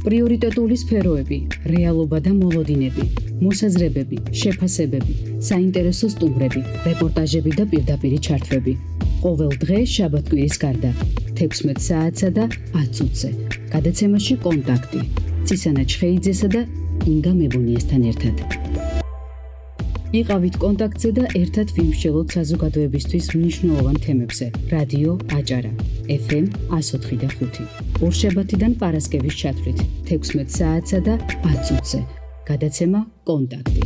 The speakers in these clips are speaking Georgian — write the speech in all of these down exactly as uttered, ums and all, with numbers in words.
პრიორიტეტული სფეროები, რეალობა და მოლოდინები, მოსაზრებები, შეფასებები, საინტერესო სტუმრები, რეპორტაჟები და პირდაპირი ჩართვები. ყოველ დღე შაბათ-კვირის გარდა, თექვსმეტ საათსა და ათ წუთზე. გადაცემაში კონტაქტი. ცისანა ჩხეიძესა და ინგა მებუნიესთან ერთად. იყავით კონტაქტზე და ერთად ვიმსჯელოთ საზოგადოებისთვის მნიშვნელოვან თემებზე. რადიო აჭარა, ეფ ემ εκατო ოთხი და ხუთი. ორშაბათიდან პარასკევის ჩათვლით, თექვსმეტ საათსა და ათ წუთზე. გადაცემა კონტაქტი.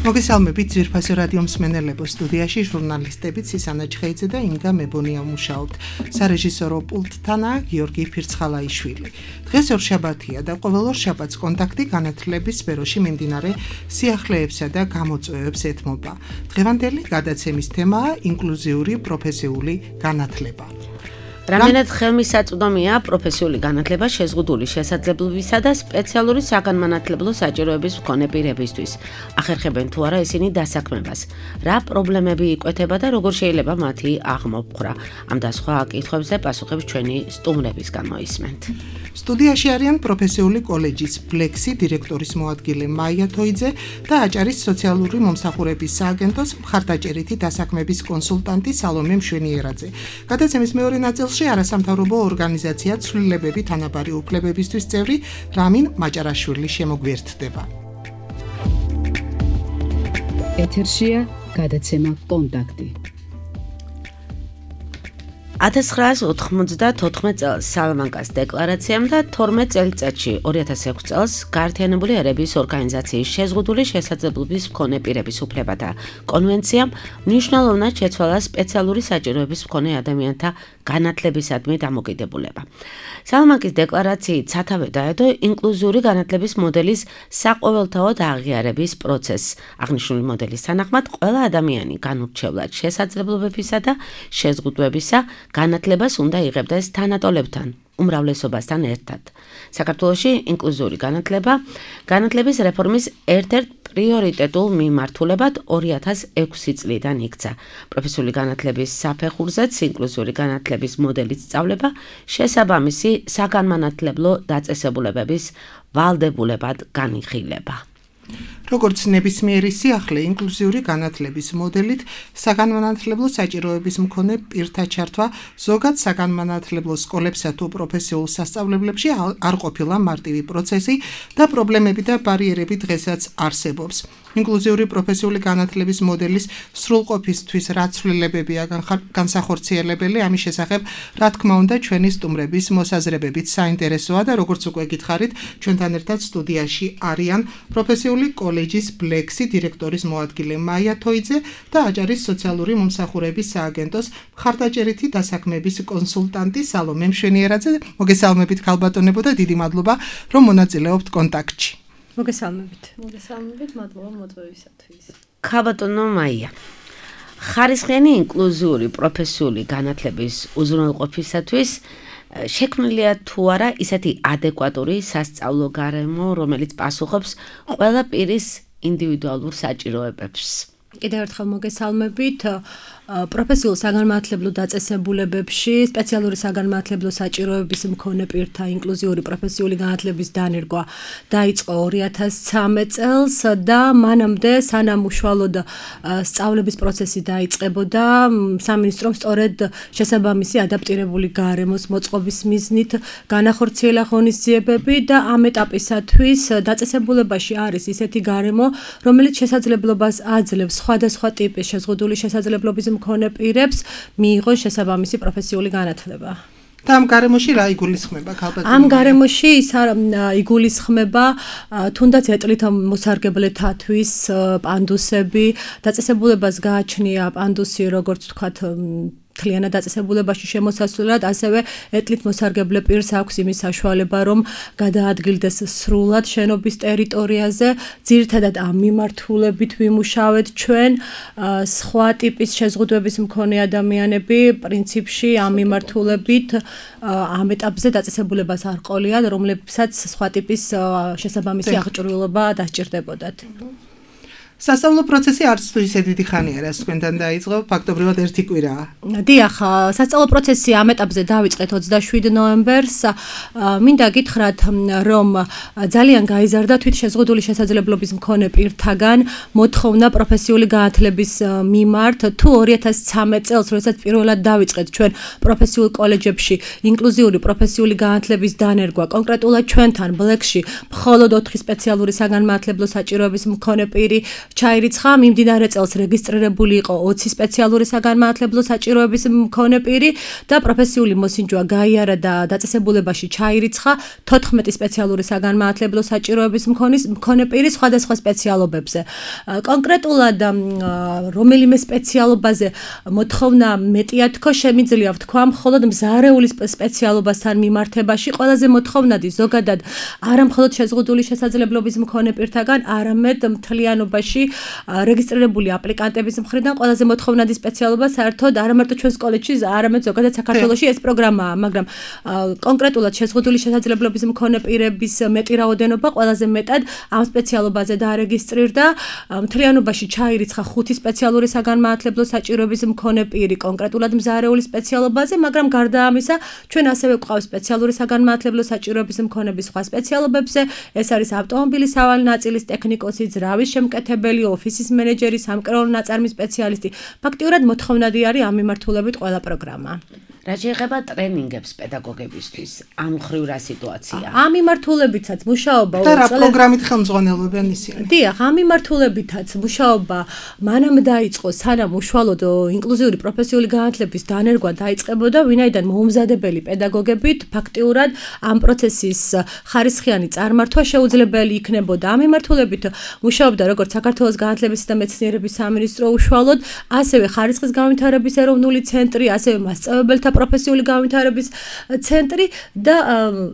მოგესალმებით ძვირფასო რადიო მსმენელებო, სტუდიაში ჟურნალისტები ცისანა ჩხეიძე და ინგა მებონია მუშაობთ. სარეჟისორო პულტთანაა გიორგი ფირცხალაიშვილი. დღეს ორშაბათია და ყოველ ორშაბათს კონტაქტი განათლების სფეროში მიმდინარე სიახლეებსა და გამოწვევებს ეთმობა. დღევანდელი გადაცემის თემაა ინკლუზიური პროფესიული განათლება. რამდენად ხელმისაწვდომია პროფესიული განათლება შეზღუდული შესაძლებლობისა და სპეციალური საგანმანათლებლო საჭიროების მქონე პირებისთვის. ახერხებენ თუ არა ისინი დასაქმებას. რა პრობლემები იკვეთება და როგორ შეიძლება მათი აღმოფხვრა? ამ და სხვა კითხვებზე პასუხებს ჩვენი სტუმრებისგან მოისმენთ. სტუდიაში არიან პროფესიული კოლეჯის ბლექსი დირექტორის მოადგილე მაია თოიძე და აჭარის სოციალური მომსახურების სააგენტოს მხარდაჭერითი დასაქმების კონსულტანტი სალომე მშვენიერაძე. გადაცემის მეორე ნაწილში არასამთავრობო ორგანიზაცია ცვლილებები თანაბარი უფლებებისთვის წევრი რამინ მაჭარაშვილი შემოგვიერთდება. ეთერშია გადაცემა კონტაქტი. ათას ცხრაას ოთხმოცდათოთხმეტ წელს სალამანკას დეკლარაციამ და თორმეტ წელიწადში ორი ათას ექვსი წელს გაერთიანებული ერების ორგანიზაციის შეზღუდული შესაძლებლობის მქონე პირების უფლებათა კონვენციამ მნიშვნელოვნად შეცვალა სპეციალური საჭიროების მქონე ადამიანთა განათლებისადმი დამოკიდებულება. სალამანკის დეკლარაციით სათავე დაედო ინკლუზიური განათლების მოდელის საყოველთაოდ აღიარების პროცესს. აღნიშნული მოდელის თანახმად ყველა ადამიანი განურჩევლად შესაძლებლობებისა და შეზღუდვებისა განათლებას უნდა იღებდეს თანატოლებთან, უმრავლესობასთან ერთად. საქართველოში ინკლუზიური განათლება განათლების რეფორმის ერთ-ერთ პრიორიტეტულ მიმართულებად ორი ათას ექვსი წლიდან იქცა. პროფესიული განათლების საფეხურზეც ინკლუზიური განათლების მოდელის სწავლება შესაბამისი საგანმანათლებლო დაწესებულებების ვალდებულებად განიხილება. როგორც ნებისმიერი სიახლე ინკლუზიური განათლების მოდელით საგანმანათლებლო საჭიროების მქონე პირთა ჩართვა ზოგად საგანმანათლებლო სკოლებსა თუ პროფესიულ სასწავლებლებში არ ყოფილა მარტივი პროცესი და პრობლემები და ბარიერები დღესაც არსებობს. ინკლუზიური პროფესიული განათლების მოდელის სრულყოფისთვის რა ცვლილებებია განსახორციელებელი, ამის შესახებ რა თქმა უნდა ჩვენი სტუმრების მოსაზრებებით საინტერესოა და როგორც უკვე გითხარით, ჩვენთან ერთად სტუდიაში არიან პროფესიული კოლეჯის ბლექსი დირექტორის მოადგილე მაია თოიძე და აჭარის სოციალური მომსახურების სააგენტოს მხარდაჭერითი დასაქმების კონსულტანტი სალომე მშვენიერაძე. მოგესალმებით ქალბატონებო და დიდი მადლობა რომ მონაწილეობთ კონტაქტში. მოგესალმებით. მოგესალმებით, მადლობა მოწვევისათვის. ქალბატონო მაია, ხარისხიანი ინკლუზიური პროფესიული განათლების უზრუნველყოფისათვის შექმნილია თუ არა ისეთი ადეკვატური სასწავლო გარემო, რომელიც პასუხობს ყველა პირის ინდივიდუალურ საჭიროებებს. კიდევ ერთხელ მოგესალმებით. პროფესიულ საგანმანათლებლო დაწესებულებებში სპეციალური საგანმანათლებლო საჭიროების მქონე პირთა ინკლუზიური პროფესიული განათლების დანერგვა დაიწყო ორი ათას ცხრამეტ წელს და მანამდე სანამ უშუალოდ სწავლების პროცესი დაიწყებოდა, სამინისტრომ სწორედ შესაბამისი ადაპტირებული გარემოს მოწყობის მიზნით განახორციელა ღონისძიებები და ამ ეტაპისათვის დაწესებულებაში არის ისეთი გარემო, რომელიც შესაძლებლობას აძლევს სხვადასხვა ტიპის შეზღუდული შესაძლებლობის მქონე პირებს მიიღონ შესაბამისი პროფესიული განათლება. და ამ გარემოში რა იგულისხმება ქალბატონო? ამ გარემოში ის იგულისხმება თუნდაც ეტლით მოსარგებლეთათვის პანდუსები, დაწესებულებას გააჩნია პანდუსი, როგორც ვთქვათ, მთლიანად დაწესებულებაში შემოსასვლელად, ასევე ეტლით მოსარგებლე პირს აქვს იმის საშუალება, რომ გადაადგილდეს სრულად შენობის ტერიტორიაზე. ძირითადად ამ მიმართულებით ვიმუშავეთ ჩვენ. სხვა ტიპის შეზღუდვების მქონე ადამიანები პრინციპში ამ მიმართულებით ამ ეტაპზე დაწესებულებას არ ყოლიან, რომლებსაც სხვა ტიპის შესაბამისი აღჭურვილობა დასჭირდებოდათ. სასწავლო პროცესი არც თუ ისე დიდი ხანი არ არის თქვენთან დაიწყო, ფაქტობრივად ერთი კვირაა. დიახ, სასწავლო პროცესი ამ ეტაპზე დავიწყეთ ოცდაშვიდი ნოემბერს. მინდა გითხრათ, რომ ძალიან გაიზარდა თვითშეზღუდული შესაძლებლობის მქონე პირთაგან მოთხოვნა პროფესიული განათლების მიმართ. თუ ორი ათას ცხრამეტ წელს, როდესაც პირველად დავიწყეთ ჩვენ პროფესიულ კოლეჯებში ინკლუზიური პროფესიული განათლების დანერგვა, კონკრეტულად ჩვენთან ბლეკში მხოლოდ ოთხი სპეციალური საგანმანათლებლო საჭიროების მქონე პირი ჩაირიცხა, მიმდინარე წელს რეგისტრირებული იყო ოცი სპეციალური საგანმანათლებლო საჭიროების მქონე პირი და პროფესიული მოსინჯვა გაიარა და დაწესებულებაში ჩაირიცხა თოთხმეტი სპეციალური საგანმანათლებლო საჭიროების მქონე პირი სხვადასხვა სპეციალობებზე. კონკრეტულად რომელიმე სპეციალობაზე მოთხოვნა მეტია თქო, შემიძლია ვთქვა, მხოლოდ მზარეული სპეციალობასთან მიმართებაში ყველაზე მოთხოვნადი ზოგადად არა მხოლოდ შეზღუდული შესაძლებლობის მქონე პირთაგან, არამედ მთლიანობაში რეგისტრირებული აპლიკანტების მხრიდან ყველაზე მოთხოვნადი სპეციალობა საერთოდ არა მარტო ჩვენს კოლეჯში, არამედ ზოგადად საქართველოში ეს პროგრამაა, მაგრამ კონკრეტულად შეზღუდული შესაძლებლობის მქონე პირების მეტი რაოდენობა ყველაზე მეტად ამ სპეციალობაზე დაარეგისტრირდა. მთლიანობაში ჩაირიცხა ხუთი სპეციალური საგანმანათლებლო საჭიროების მქონე პირი კონკრეტულად მზარეული სპეციალობაზე, მაგრამ გარდა ამისა, ჩვენ ასევე გვყავს სპეციალური საგანმანათლებლო საჭიროების მქონების სხვა სპეციალობებზე, ეს არის ავტომობილის სავალი ნაწილის ტექნიკოსი, ძრავის შემკეთებელი, ოფისის მენეჯერი, სამკერვალო ნაწარმის სპეციალისტი. ფაქტიურად მოთხოვნადი არის ამ მიმართულებით ყველა პროგრამა. რა შეეხება ტრენინგებს პედაგოგებისთვის, ამ მხრივ რა სიტუაცია? ამ მიმართულებითაც მუშაობა და რა პროგრამით ხელმძღვანელობენ ისინი? დიახ, ამ მიმართულებითაც მუშაობა მანამ დაიწყო, სანამ უშუალოდ ინკლუზიური პროფესიული განათლების დანერგვა დაიწყებოდა, ვინაიდან მოუმზადებელი პედაგოგებით ფაქტიურად ამ პროცესის ხარისხიანი წარმართვა შეუძლებელი იქნებოდა. ამ მიმართულებით მუშაობდა როგორც საქართველოს განათლებისა და მეცნიერების სამინისტრო უშუალოდ, ასევე ხარისხის განვითარების ეროვნული ცენტრი, ასევე მასწავლებელთა პროფესიული განვითარების ცენტრი და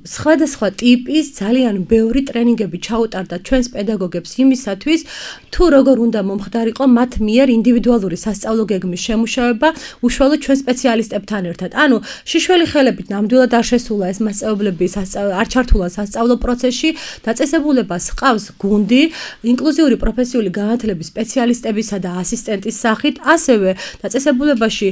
სხვადასხვა ტიპის ძალიან ბევრი ტრენინგები ჩაუტარდა ჩვენს პედაგოგებს იმისათვის, თუ როგორ უნდა მომხდარიყო მათ მიერ ინდივიდუალური სასწავლო გეგმის შემუშავება უშუალოდ ჩვენ სპეციალისტებთან ერთად. ანუ შიშველი ხელებით ნამდვილად არ შესულა ეს მასწავლებლები, არ ჩართულა სასწავლო პროცესში, დაწესებულებას ჰყავს გუნდი ინკლუზიური პროფესიული განათლების სპეციალისტებისა და ასისტენტის სახით, ასევე დაწესებულებაში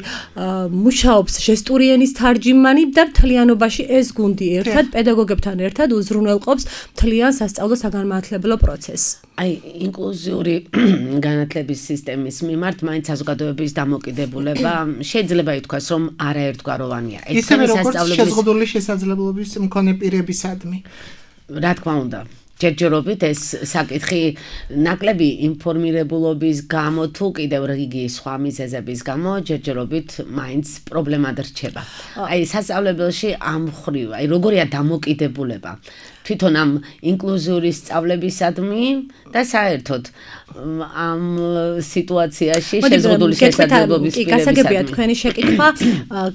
მუშაობს ჟესტური ენის თარჯიმანი და მთლიანობაში ეს გუნდი ერთად პედაგოგებთან ერთად უზრუნველყოფს მთლიან სასწავლო საგანმანათლებლო პროცესს. აი, ინკლუზიური განათლების სისტემის მიმართ მაინც საზოგადოების დამოკიდებულება შეიძლება ითქვას, რომ არაერთგვაროვანია. ისევე როგორც შეზღუდული შესაძლებლობის მქონე პირებისადმი. რა თქმა უნდა. ჯერჯერობით ეს საკითხი ნაკლები ინფორმირებულობის გამო თუ კიდევ რიგი სხვა მიზეზების გამო ჯერჯერობით მაინც პრობლემად რჩება. აი სასწავლებელში ამ მხრივ, აი როგორია დამოკიდებულება თვითონ ამ ინკლუზიური სწავლებისადმი და საერთოდ ამ სიტუაციაში შეზღუდული შესაძლებლობის პირებისადმი. კი, გასაგებია თქვენი შეკითხვა.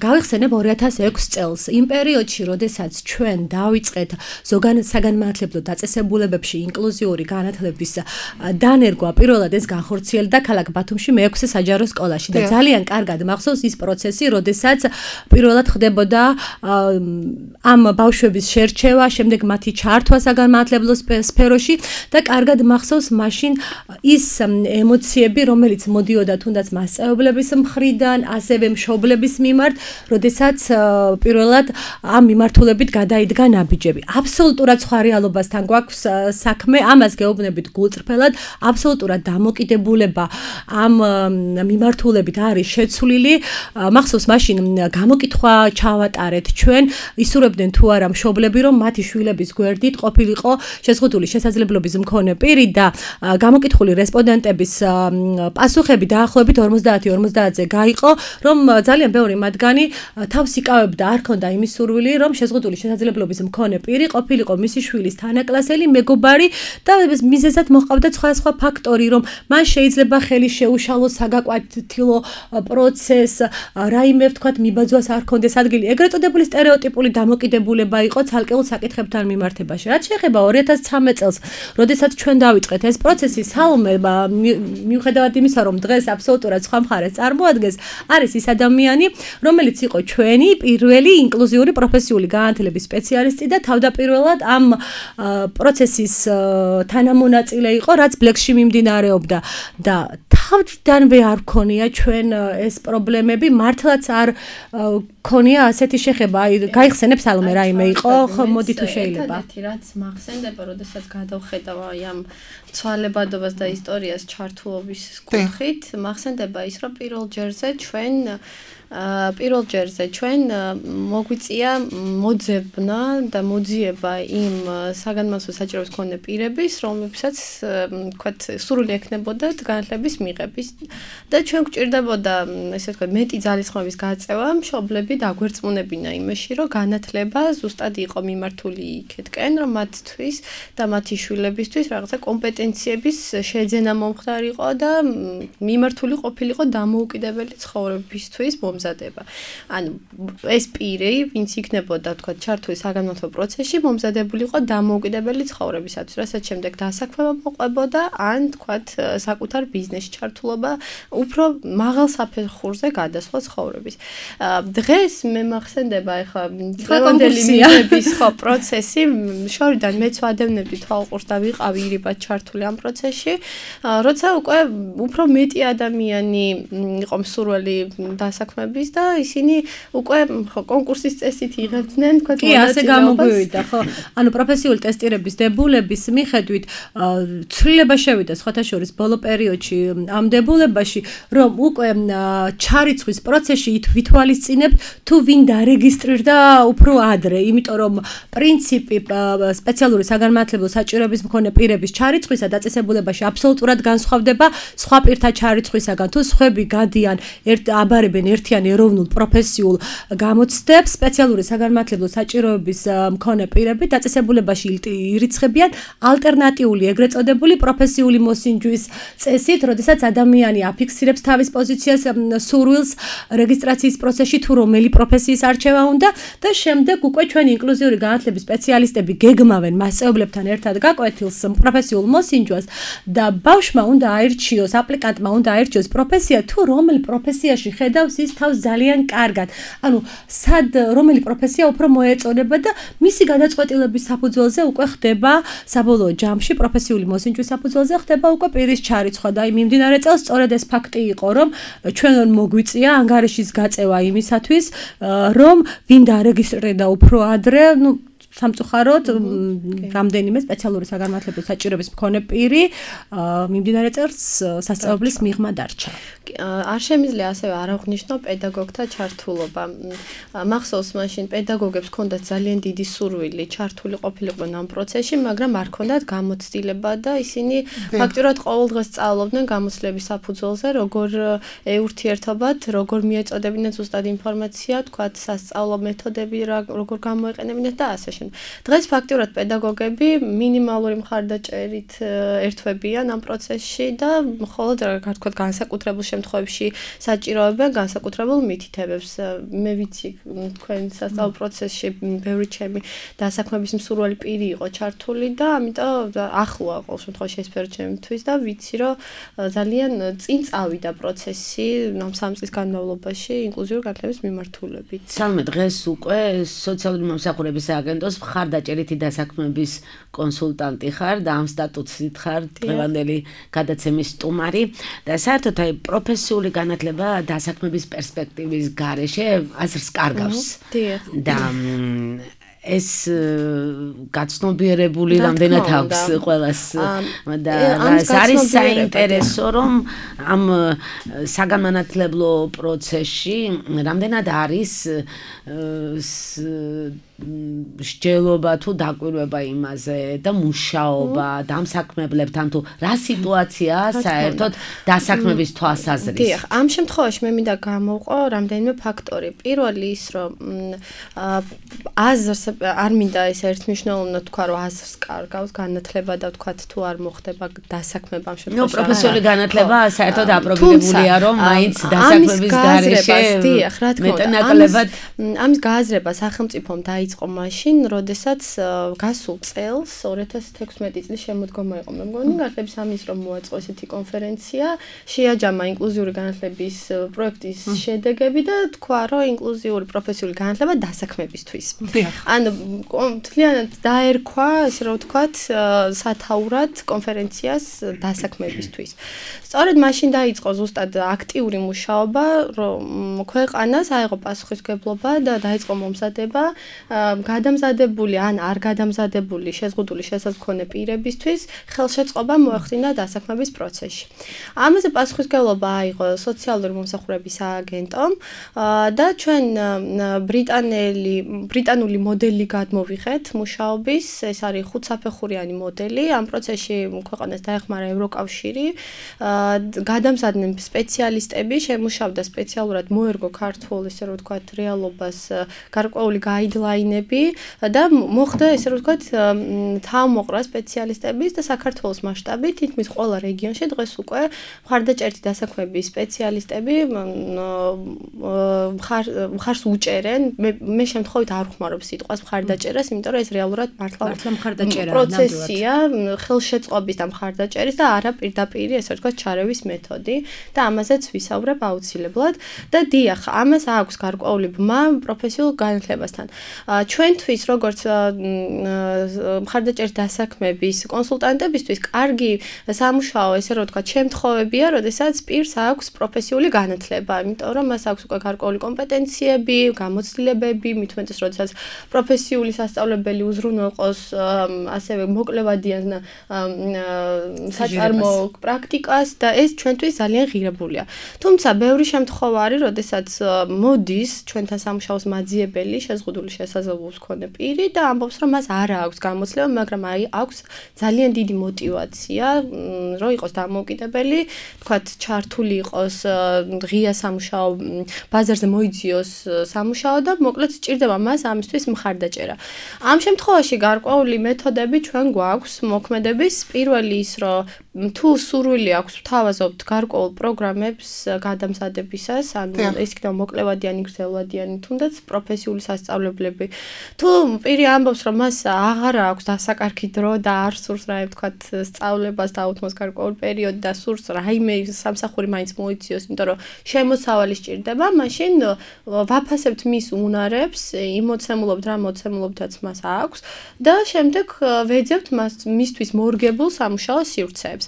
გავიხსენებ ორი ათას ექვსი წელს, იმ პერიოდში, როდესაც ჩვენ დავიწყეთ ზოგადად საგანმანათლებლო დაწესებულებებში ინკლუზიური განათლების დანერგვა, პირველად ეს განხორციელდა ქალაქ ბათუმში მეექვსე საჯარო სკოლაში და ძალიან კარგად მახსოვს ის პროცესი, როდესაც პირველად ხდებოდა ამ ბავშვების შერჩევა, შემდეგ მათი ჩართვა საგანმანათლებლო სფეროში და კარგად მახსოვს მაშინ ის ემოციები, რომელიც მოდიოდა თუნდაც მასწავლებლების მხრიდან, ასევე მშობლების მიმართ, როდესაც პირველად ამ მიმართულებით გადაიდგა ნაბიჯები. აბსოლუტურად სხვა რეალობასთან გვაქვს საქმე, ამას გეუბნებით გულწრფელად, აბსოლუტურად დამოკიდებულება ამ მიმართულებით არის შეცვლილი. მახსოვს მაშინ გამოკითხვა ჩავატარეთ ჩვენ, ისურვებდნენ თუ არა მშობლები, რომ მათი შვილების გვერდით ყოფილიყო შეზღუდული შესაძლებლობის მქონე პირი და გამოკითხული რესპონდენტების პასუხები დაახლოებით ორმოცდაათი ორმოცდაათზე გაიყო, რომ ძალიან ბევრი მათგანი თავს იკავებდა, არ ქონდა იმის სურვილი, რომ შეზღუდული შესაძლებლობის მქონე პირი ყოფილიყო მისი შვილის თანაკლასელი, მეგობარი და მიზეზად მოჰყავდა სხვადასხვა ფაქტორი, რომ მან შეიძლება ხელი შეუშალოს საგაკვეთილო პროცესს, რაიმე ვთქვათ, მიბაძვას არ ქონდეს ადგილი. ეგრეთ წოდებული სტერეოტიპული დამოკიდებულება იყო ცალკეულ საკითხებთან მიმართებაში. რაც შეეხება ორი ათას ცხრამეტ წელს, როდესაც ჩვენ დავიწყეთ ეს პროცესი, სალო სალმე მიუხედავად იმისა, რომ დღეს აბსოლუტურად სხვა მხარეს წარმოადგენს, არის ის ადამიანი, რომელიც იყო ჩვენი პირველი ინკლუზიური პროფესიული განათლების სპეციალისტი და თავდაპირველად ამ პროცესის თანამონაწილე იყო, რაც ბლექსში მიმდინარეობდა და თავდიდანვე არ ქონია ჩვენ ეს პრობლემები, მართლაც არ ქონია ასეთი შეხება. აი, გაიხსენებ სალმე რაიმე იყო, მოდი თუ შეიძლება. ერთადერთი რაც მახსენდება, როდესაც გადავხედავ აი ამ ცვალებადობას და ისტორიას ჩართულობის კუთხით, მახსენდება ის, რომ პირველ ჯერზე ჩვენ პირველ ჯერზე ჩვენ მოგვიწია მოძებნა და მოძიება იმ საგანმანათლებლო საჭიროების მქონე პირების, რომლებსაც თქვათ სურვილი ექნებოდა განათლების მიღების და ჩვენ გვჭირდებოდა ესე ვთქვათ მეტი ძალისხმევის გაწევა, მშობლები დაგვერწმუნებინა იმაში, რომ განათლება ზუსტად იყო მიმართული იქეთკენ, რომ მათთვის და მათი შვილებისთვის რაღაცა კომპეტენციების შეძენა მომხდარიყო და მიმართული ყოფილიყო დამოუკიდებელი ცხოვრებისთვის მომზადება. ანუ ეს პირი, ვინც იქნებოდა თქვა ჩართული საგანმანათლებლო პროცესში, მომზადებული იყო დამოუკიდებელი ცხოვრებისათვის, რასაც შემდეგ დასაქმება მოყვებოდა, ან თქვა საკუთარ ბიზნესში ჩართულობა, უფრო მაღალ საფეხურზე გადასვლა ცხოვრების. დღეს მე მახსენდება ეხლა დღევანდელი მიღების ხო პროცესი, შორიდან მეც ვადევნებდი თვალყურს და ვიყავი ირიბად ჩართული ამ პროცესში, როცა უკვე უფრო მეტი ადამიანი იყო მსურველი დასაქმების და ისინი უკვე ხო კონკურსის წესით იღებდნენ თქვა კი ასე გამოგვივიდა ხო ანუ პროფესიული ტესტირების დებულების მიხედვით ცვლილება შევიდა სხვათა შორის ბოლო პერიოდში ამ დებულებაში რომ უკვე ჩარიცხვის პროცესში ვითვალისწინებთ თუ ვინ დარეგისტრირდა უფრო ადრე იმიტომ რომ პრინციპი სპეციალური საგანმანათლებლო საჭიროების მქონე პირების ჩარიცხვისა დაწესებულებაში აბსოლუტურად განსხვავდება სხვა პირთა ჩარიცხვისაგან თუ სხვები გადიან ერთ აბარებენ ერთიან ეროვნულ პროფესიულ გამოცდებს სპეციალური საგანმანათლებლო საჭიროების მქონე პირები დაწესებულებაში ირიცხებიან ალტერნატიული ეგრეთ წოდებული პროფესიული მოსინჯვის წესით, როდესაც ადამიანი აფიქსირებს თავის პოზიციას სურვილს რეგისტრაციის პროცესში თუ რომელი პროფესიის არჩევა უნდა და შემდეგ უკვე ჩვენი ინკლუზიური განათლების სპეციალისტები გეგმავენ მასწავლებლებთან ერთად გაკვეთილს პროფესიულ მოსინჯვას და ბავშვმა უნდა აირჩიოს, აპლიკანტმა უნდა აირჩიოს პროფესია თუ რომელ პროფესიაში ხედავს ის თავს ძალიან კარგად. ანუ სად რომელი პროფესია უფრო მოეწონება და მისი გადაწყვეტილების საფუძველზე უკვე ხდება საბოლოო ჯამში პროფესიული მოსინჯვის საფუძველზე ხდება უკვე პირის ჩარიცხვა და მიმდინარე წელს სწორედ ეს ფაქტი იყო რომ ჩვენ მოგვიწია ანგარიშის გაწევა იმისათვის რომ ვინ დარეგისტრირდა უფრო ადრე ნუ სამწუხაროდ რამდენიმე სპეციალური საგანმანათლებლო საჭიროების მქონე პირი მიმდინარე წელს სასწავლებლის მიღმა დარჩა. არ შემიძლია ასევე არ აღვნიშნო პედაგოგთა ჩართულობა. მახსოვს მაშინ პედაგოგებს ჰქონდათ ძალიან დიდი სურვილი ჩართული ყოფილიყვნენ ამ პროცესში, მაგრამ არ ჰქონდათ გამოცდილება და ისინი ფაქტურად ყოველ დღეს სწავლობდნენ გამოცდილების საფუძველზე, როგორ ეურთიერთობათ, როგორ მიეწოდებინათ ზუსტად ინფორმაცია, თქვათ სასწავლო მეთოდები, როგორ გამოეყენებინათ და ასე შემდგომ. დღეს ფაქტურად პედაგოგები მინიმალური მხარდაჭერით ერთვებიან ამ პროცესში და მხოლოდ რა თქვა განსაკუთრებულ შემთხვევებში საჭიროებენ განსაკუთრებულ მითითებებს. მე ვიცი თქვენ სასწავლო პროცესში ბევრი ჩემი დასაქმების მსურველი პირი იყო ჩართული და ამიტომ ახლოა ყოველ შემთხვევაში ეს სფერო ჩემთვის და ვიცი რომ ძალიან წინ წავიდა პროცესი ამ სამი წლის განმავლობაში ინკლუზიური განათლების მიმართულებით. სალმე დღეს უკვე სოციალური მომსახურების სააგენტოს მხარდაჭერითი დასაქმების კონსულტანტი ხარ და ამ სტატუსით ხარ დღევანდელი გადაცემის სტუმარი და საერთოდ აი პროფესიული განათლება დასაქმების პერსპექტივის გარეშე აზრს კარგავს და ეს გაცნობიერებული რამდენად აქვს ყველას და არის საინტერესო რომ ამ საგანმანათლებლო პროცესში რამდენად არის სჯელობა თუ დაკვირვება იმაზე და მუშაობა დამსაქმებლებთან თუ რა სიტუაციაა საერთოდ დასაქმების თვალსაზრისით. დიახ, ამ შემთხვევაში მე მინდა გამოვყო რამდენიმე ფაქტორი. პირველი ის რომ აზრს არ მინდა ეს ერთმნიშვნელოვნად თქვა რომ აზრს კარგავს განათლება და თქვა თუ არ მოხდება დასაქმება ამ შემთხვევაში. ნუ პროფესიული განათლება საერთოდ აპრობირებულია რომ მაინც დასაქმების გარეშე დიახ, რა თქმა უნდა. ამის გააზრება სახელმწიფომ დაიწყო დაიწყო მაშინ, როდესაც გასულ წელს ორი ათას თექვსმეტი წლის შემოდგომა იყო. მე მგონი განათლების სამინისტრომ მოაწყო ესეთი კონფერენცია, შეაჯამა ინკლუზიური განათლების პროექტის შედეგები და თქვა, რომ ინკლუზიური პროფესიული განათლება დასაქმებისთვის. ანუ მთლიანად დაერქვა, ესე რომ ვთქვათ, სათაურად კონფერენციას დასაქმებისთვის. სწორედ მაშინ დაიწყო ზუსტად აქტიური მუშაობა, რომ ქვეყანას აიღო პასუხისმგებლობა და დაიწყო მომზადება გადამზადებული ან არ გადამზადებული შეზღუდული შესაძლებელი პირებისთვის ხელშეწყობა მოახდინა დასაქმების პროცესში. ამაზე პასუხისმგებლობა აიღო სოციალური მომსახურების სააგენტომ და ჩვენ ბრიტანელი ბრიტანული მოდელი გადმოვიღეთ მუშაობის, ეს არის ხუთსაფეხურიანი მოდელი. ამ პროცესში ქვეყანას დაეხმარა ევროკავშირი, გადამზადდნენ სპეციალისტები, შემუშავდა სპეციალურად მოერგო ქართულ, ესე რომ ვთქვათ, რეალობას გარკვეული გაიდლაინები და მოხდა, ესე რომ ვთქვათ, თავმოყრა სპეციალისტების და საქართველოს მასშტაბით თითქმის ყველა რეგიონში დღეს უკვე მხარდაჭერითი დასაქმების სპეციალისტები მხარს უჭერენ. მე შემთხვევით არ ვხმარობ სიტყვას მხარდაჭერას, იმიტომ რომ ეს რეალურად მართლა მხარდაჭერა პროცესია, ხელშეწყობის და მხარდაჭერის და არა პირდაპირ, ესე ვთქვათ, ჩარევის მეთოდი და ამაზეც ვისაუბრებ აუცილებლად და დიახ, ამას აქვს გარკვეული ბმა პროფესიულ განათლებასთან. ჩვენთვის, როგორც მხარდაჭერის დასაქმების კონსულტანტებისთვის, კარგი სამუშაო, ესე რომ ვთქვათ, შემთხვევებია, როდესაც პირს აქვს პროფესიული განათლება, იმიტომ რომ მას აქვს უკვე გარკვეული კომპეტენციები, გამოცდილებები, მით უმეტეს, როდესაც პროფესიული სასწავლებელი უზრუნველყოს ასევე მოკლევადიან საწარმო პრაქტიკას და ეს ჩვენთვის ძალიან ღირებულია. თუმცა ბევრი შემთხვევა არის, როდესაც მოდის ჩვენთან სამუშაოს მაძიებელი შეზღუდული შესაძლებლობის მქონე პირი და ამბობს, რომ მას არ აქვს გამოცდილება, მაგრამ აი აქვს ძალიან დიდი мотиваცია, რომ იყოს დამოუკიდებელი, თქვათ, ჩართული იყოს ღია სამუშაო ბაზარზე მოიძიოს სამუშაო და მოკლედ სჭირდება მას ამისთვის მხარდაჭერა. ამ შემთხვევაში გარკვეული მეთოდები ჩვენ გვაქვს მოქმედების. პირველი ის, რომ თუ სურვილი აქვს ვთავაზობთ გარკვეულ პროგრამებს გადამზადებისას, ანუ ეს იქნება მოკლევადიანი, გრძელვადიანი, თუნდაც პროფესიული სასწავლებლები. თუ პირი ამბობს, რომ მას აღარ აქვს დასაკარგი დრო და არ სურს რა ვთქვათ, სწავლებას დაუთმოს გარკვეულ პერიოდში და სურს რაიმე სამსახური მაინც მოიციოს, იმიტომ რომ შემოსავალი სჭირდება, მაშინ ვაფასებთ მის უნარებს, იმოცემულობთ რა მოცემულობთაც მას აქვს და შემდეგ ვეძებთ მას მისთვის მორგებულ სამუშაო სივრცეებს.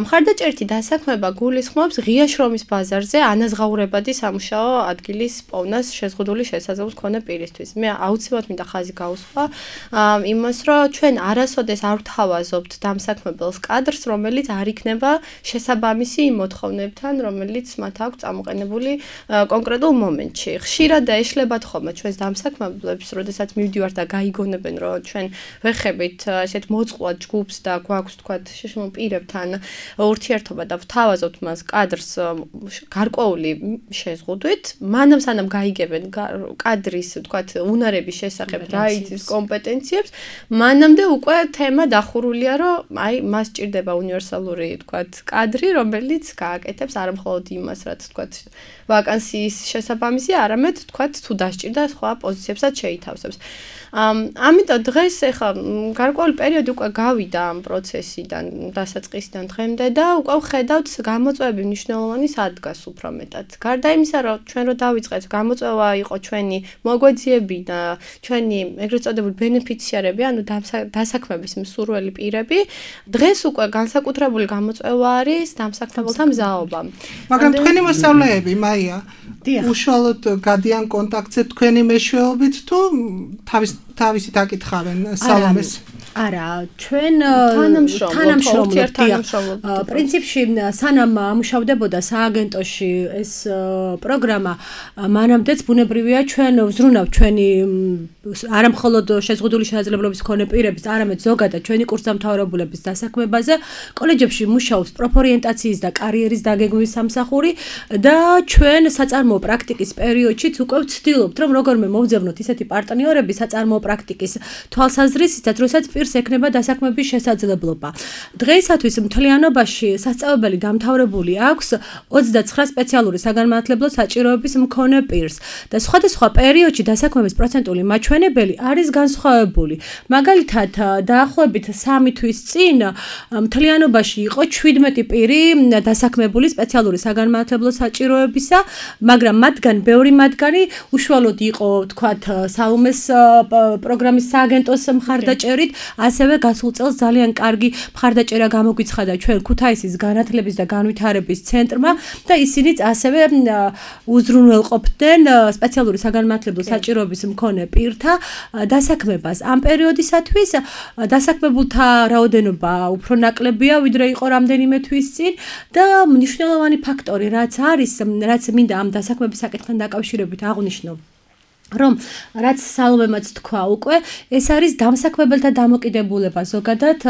მხარდაჭერითი დასაქმება გულისხმობს ღია შრომის ბაზარზე ანაზღაურებადი სამუშაო ადგილის პოვნას შეზღუდული შესაძლებლობის მქონე პირისთვის. მე აუცილებლად მინდა ხაზი გაუსვა იმას, რომ ჩვენ არასოდეს არ ვთავაზობთ დამსაქმებელს კადრს, რომელიც არ იქნება შესაბამისი იმ მოთხოვნებთან, რომელიც მათ აქვს წამოყენებული კონკრეტულ მომენტში. ხშირად ეშლებათ ხოლმე ჩვენს დამსაქმებლებს, როდესაც მივდივართ და გაიგონებენ, რომ ჩვენ ვეხებით ესეთ მოწყვლად ჯგუფს და გვაქვს თქვათ შეშმო პირებთან ურთიერთობა და ვთავაზობთ მას კადრს გარკვეული შეზღუდვით, მანამ სანამ გაიგებენ კადრის თქვათ უნარების შესახებ რა იცის კომპეტენციებს, მანამდე უკვე თემა დახურულია, რომ აი მას სჭირდება უნივერსალური თქვათ კადრი, რომელიც გააკეთებს არა მხოლოდ იმას, რაც თქვათ ვაკანსიის შესაბამისი, არამედ თქვათ თუ დასჭირდა სხვა პოზიციებსაც შეითავსებს. ამიტომ დღეს ეხლა გარკვეული პერიოდი უკვე გავიდა ამ პროცესიდან, დასაწყისიდან დღემდე და უკვე ვხედავთ გამოწვევები მნიშვნელოვანი სადგას უფრო მეტად. გარდა იმისა, რომ ჩვენ რო დავიწყეთ, გამოწვევა იყო ჩვენი მოგვეძიები და ჩვენი ეგრეთ წოდებული ბენეფიციარები, ანუ დასაქმების მსურველი პირები, დღეს უკვე განსაკუთრებული გამოწვევა არის დამსაქმებელთა მზაობა. მაგრამ თქვენი მოსწავლეები, მაია, უშუალოდ გადიან კონტაქტზე თქვენი მეშვეობით თუ თავის თავისი დაკითხავენ სალომეს? არა, ჩვენ თანამშრომლობთ. პრინციპში სანამ ამუშავდებოდა სააგენტოში ეს პროგრამა, მანამდეც ბუნებრივია ჩვენ ვზრუნავთ ჩვენი არა მხოლოდ შეზღუდული შესაძლებლობის მქონე პირების, არამედ ზოგადად ჩვენი კურსდამთავრებულების დასაქმებაზე. კოლეჯებში მუშაობს პროფორიენტაციის და კარიერის დაგეგმვის სამსახური და ჩვენ საწარმოო პრაქტიკის პერიოდშიც უკვე ვცდილობთ, რომ როგორმე მოვძებნოთ ისეთი პარტნიორები საწარმოო პრაქტიკის თვალსაზრისით, როდესაც პირს პირს ექნება დასაქმების შესაძლებლობა. დღეისათვის მთლიანობაში სასწავლებელი დამთავრებული აქვს ოცდაცხრა სპეციალური საგანმანათლებლო საჭიროების მქონე პირს და სხვადასხვა პერიოდში დასაქმების პროცენტული მაჩვენებელი არის განსხვავებული. მაგალითად, დაახლოებით სამი თვის წინ მთლიანობაში იყო შვიდმეტი პირი დასაქმებული სპეციალური საგანმანათლებლო საჭიროებისა, მაგრამ მათგან ბევრი მათგანი უშუალოდ იყო, თქვათ, საუმეს პროგრამის სააგენტოს მხარდაჭერით, ასევე გასულ წელს ძალიან კარგი მხარდაჭერა გამოგვიცხადა ჩვენ ქუთაისის განათლების და განვითარების ცენტრმა და ისინიც ასევე უზრუნველყოფდნენ სპეციალური საგანმანათლებლო საჭიროების მქონე პირთა დასაქმებას. ამ პერიოდისათვის დასაქმებულთა რაოდენობა უფრო ნაკლებია, ვიდრე იყო რამდენიმე თვის წინ და მნიშვნელოვანი ფაქტორი რაც არის, რაც მინდა ამ დასაქმების საკითხთან დაკავშირებით აღვნიშნო, რომ რაც სალომემაც თქვა უკვე, ეს არის დამსაქმებელთა დამოკიდებულება ზოგადად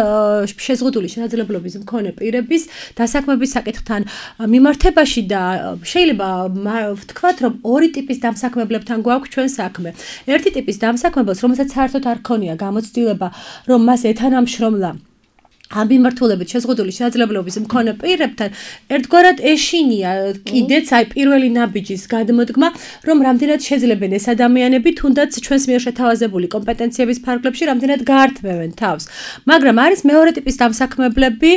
შეზღუდული შესაძლებლობის მქონე პირების დასაქმების საკითხთან მიმართებაში და შეიძლება ვთქვათ, რომ ორი ტიპის დამსაქმებლებთან გვაქვს ჩვენ საქმე. ერთი ტიპის დამსაქმებელს, რომელსაც საერთოდ არ ქონია გამოცდილება, რომ მას ეთანამშრომლა ამ მიმართულებით შეზღუდული შესაძლებლობის მქონე პირებთან ერთგვარად ეშინია კიდეც აი პირველი ნაბიჯის გადმოდგმა, რომ რამდენად შეძლებენ ეს ადამიანები თუნდაც ჩვენს მიერ შეთავაზებული კომპეტენციების ფარგლებში რამდენად გაართმევენ თავს. მაგრამ არის მეორე ტიპის დამსაქმებლები,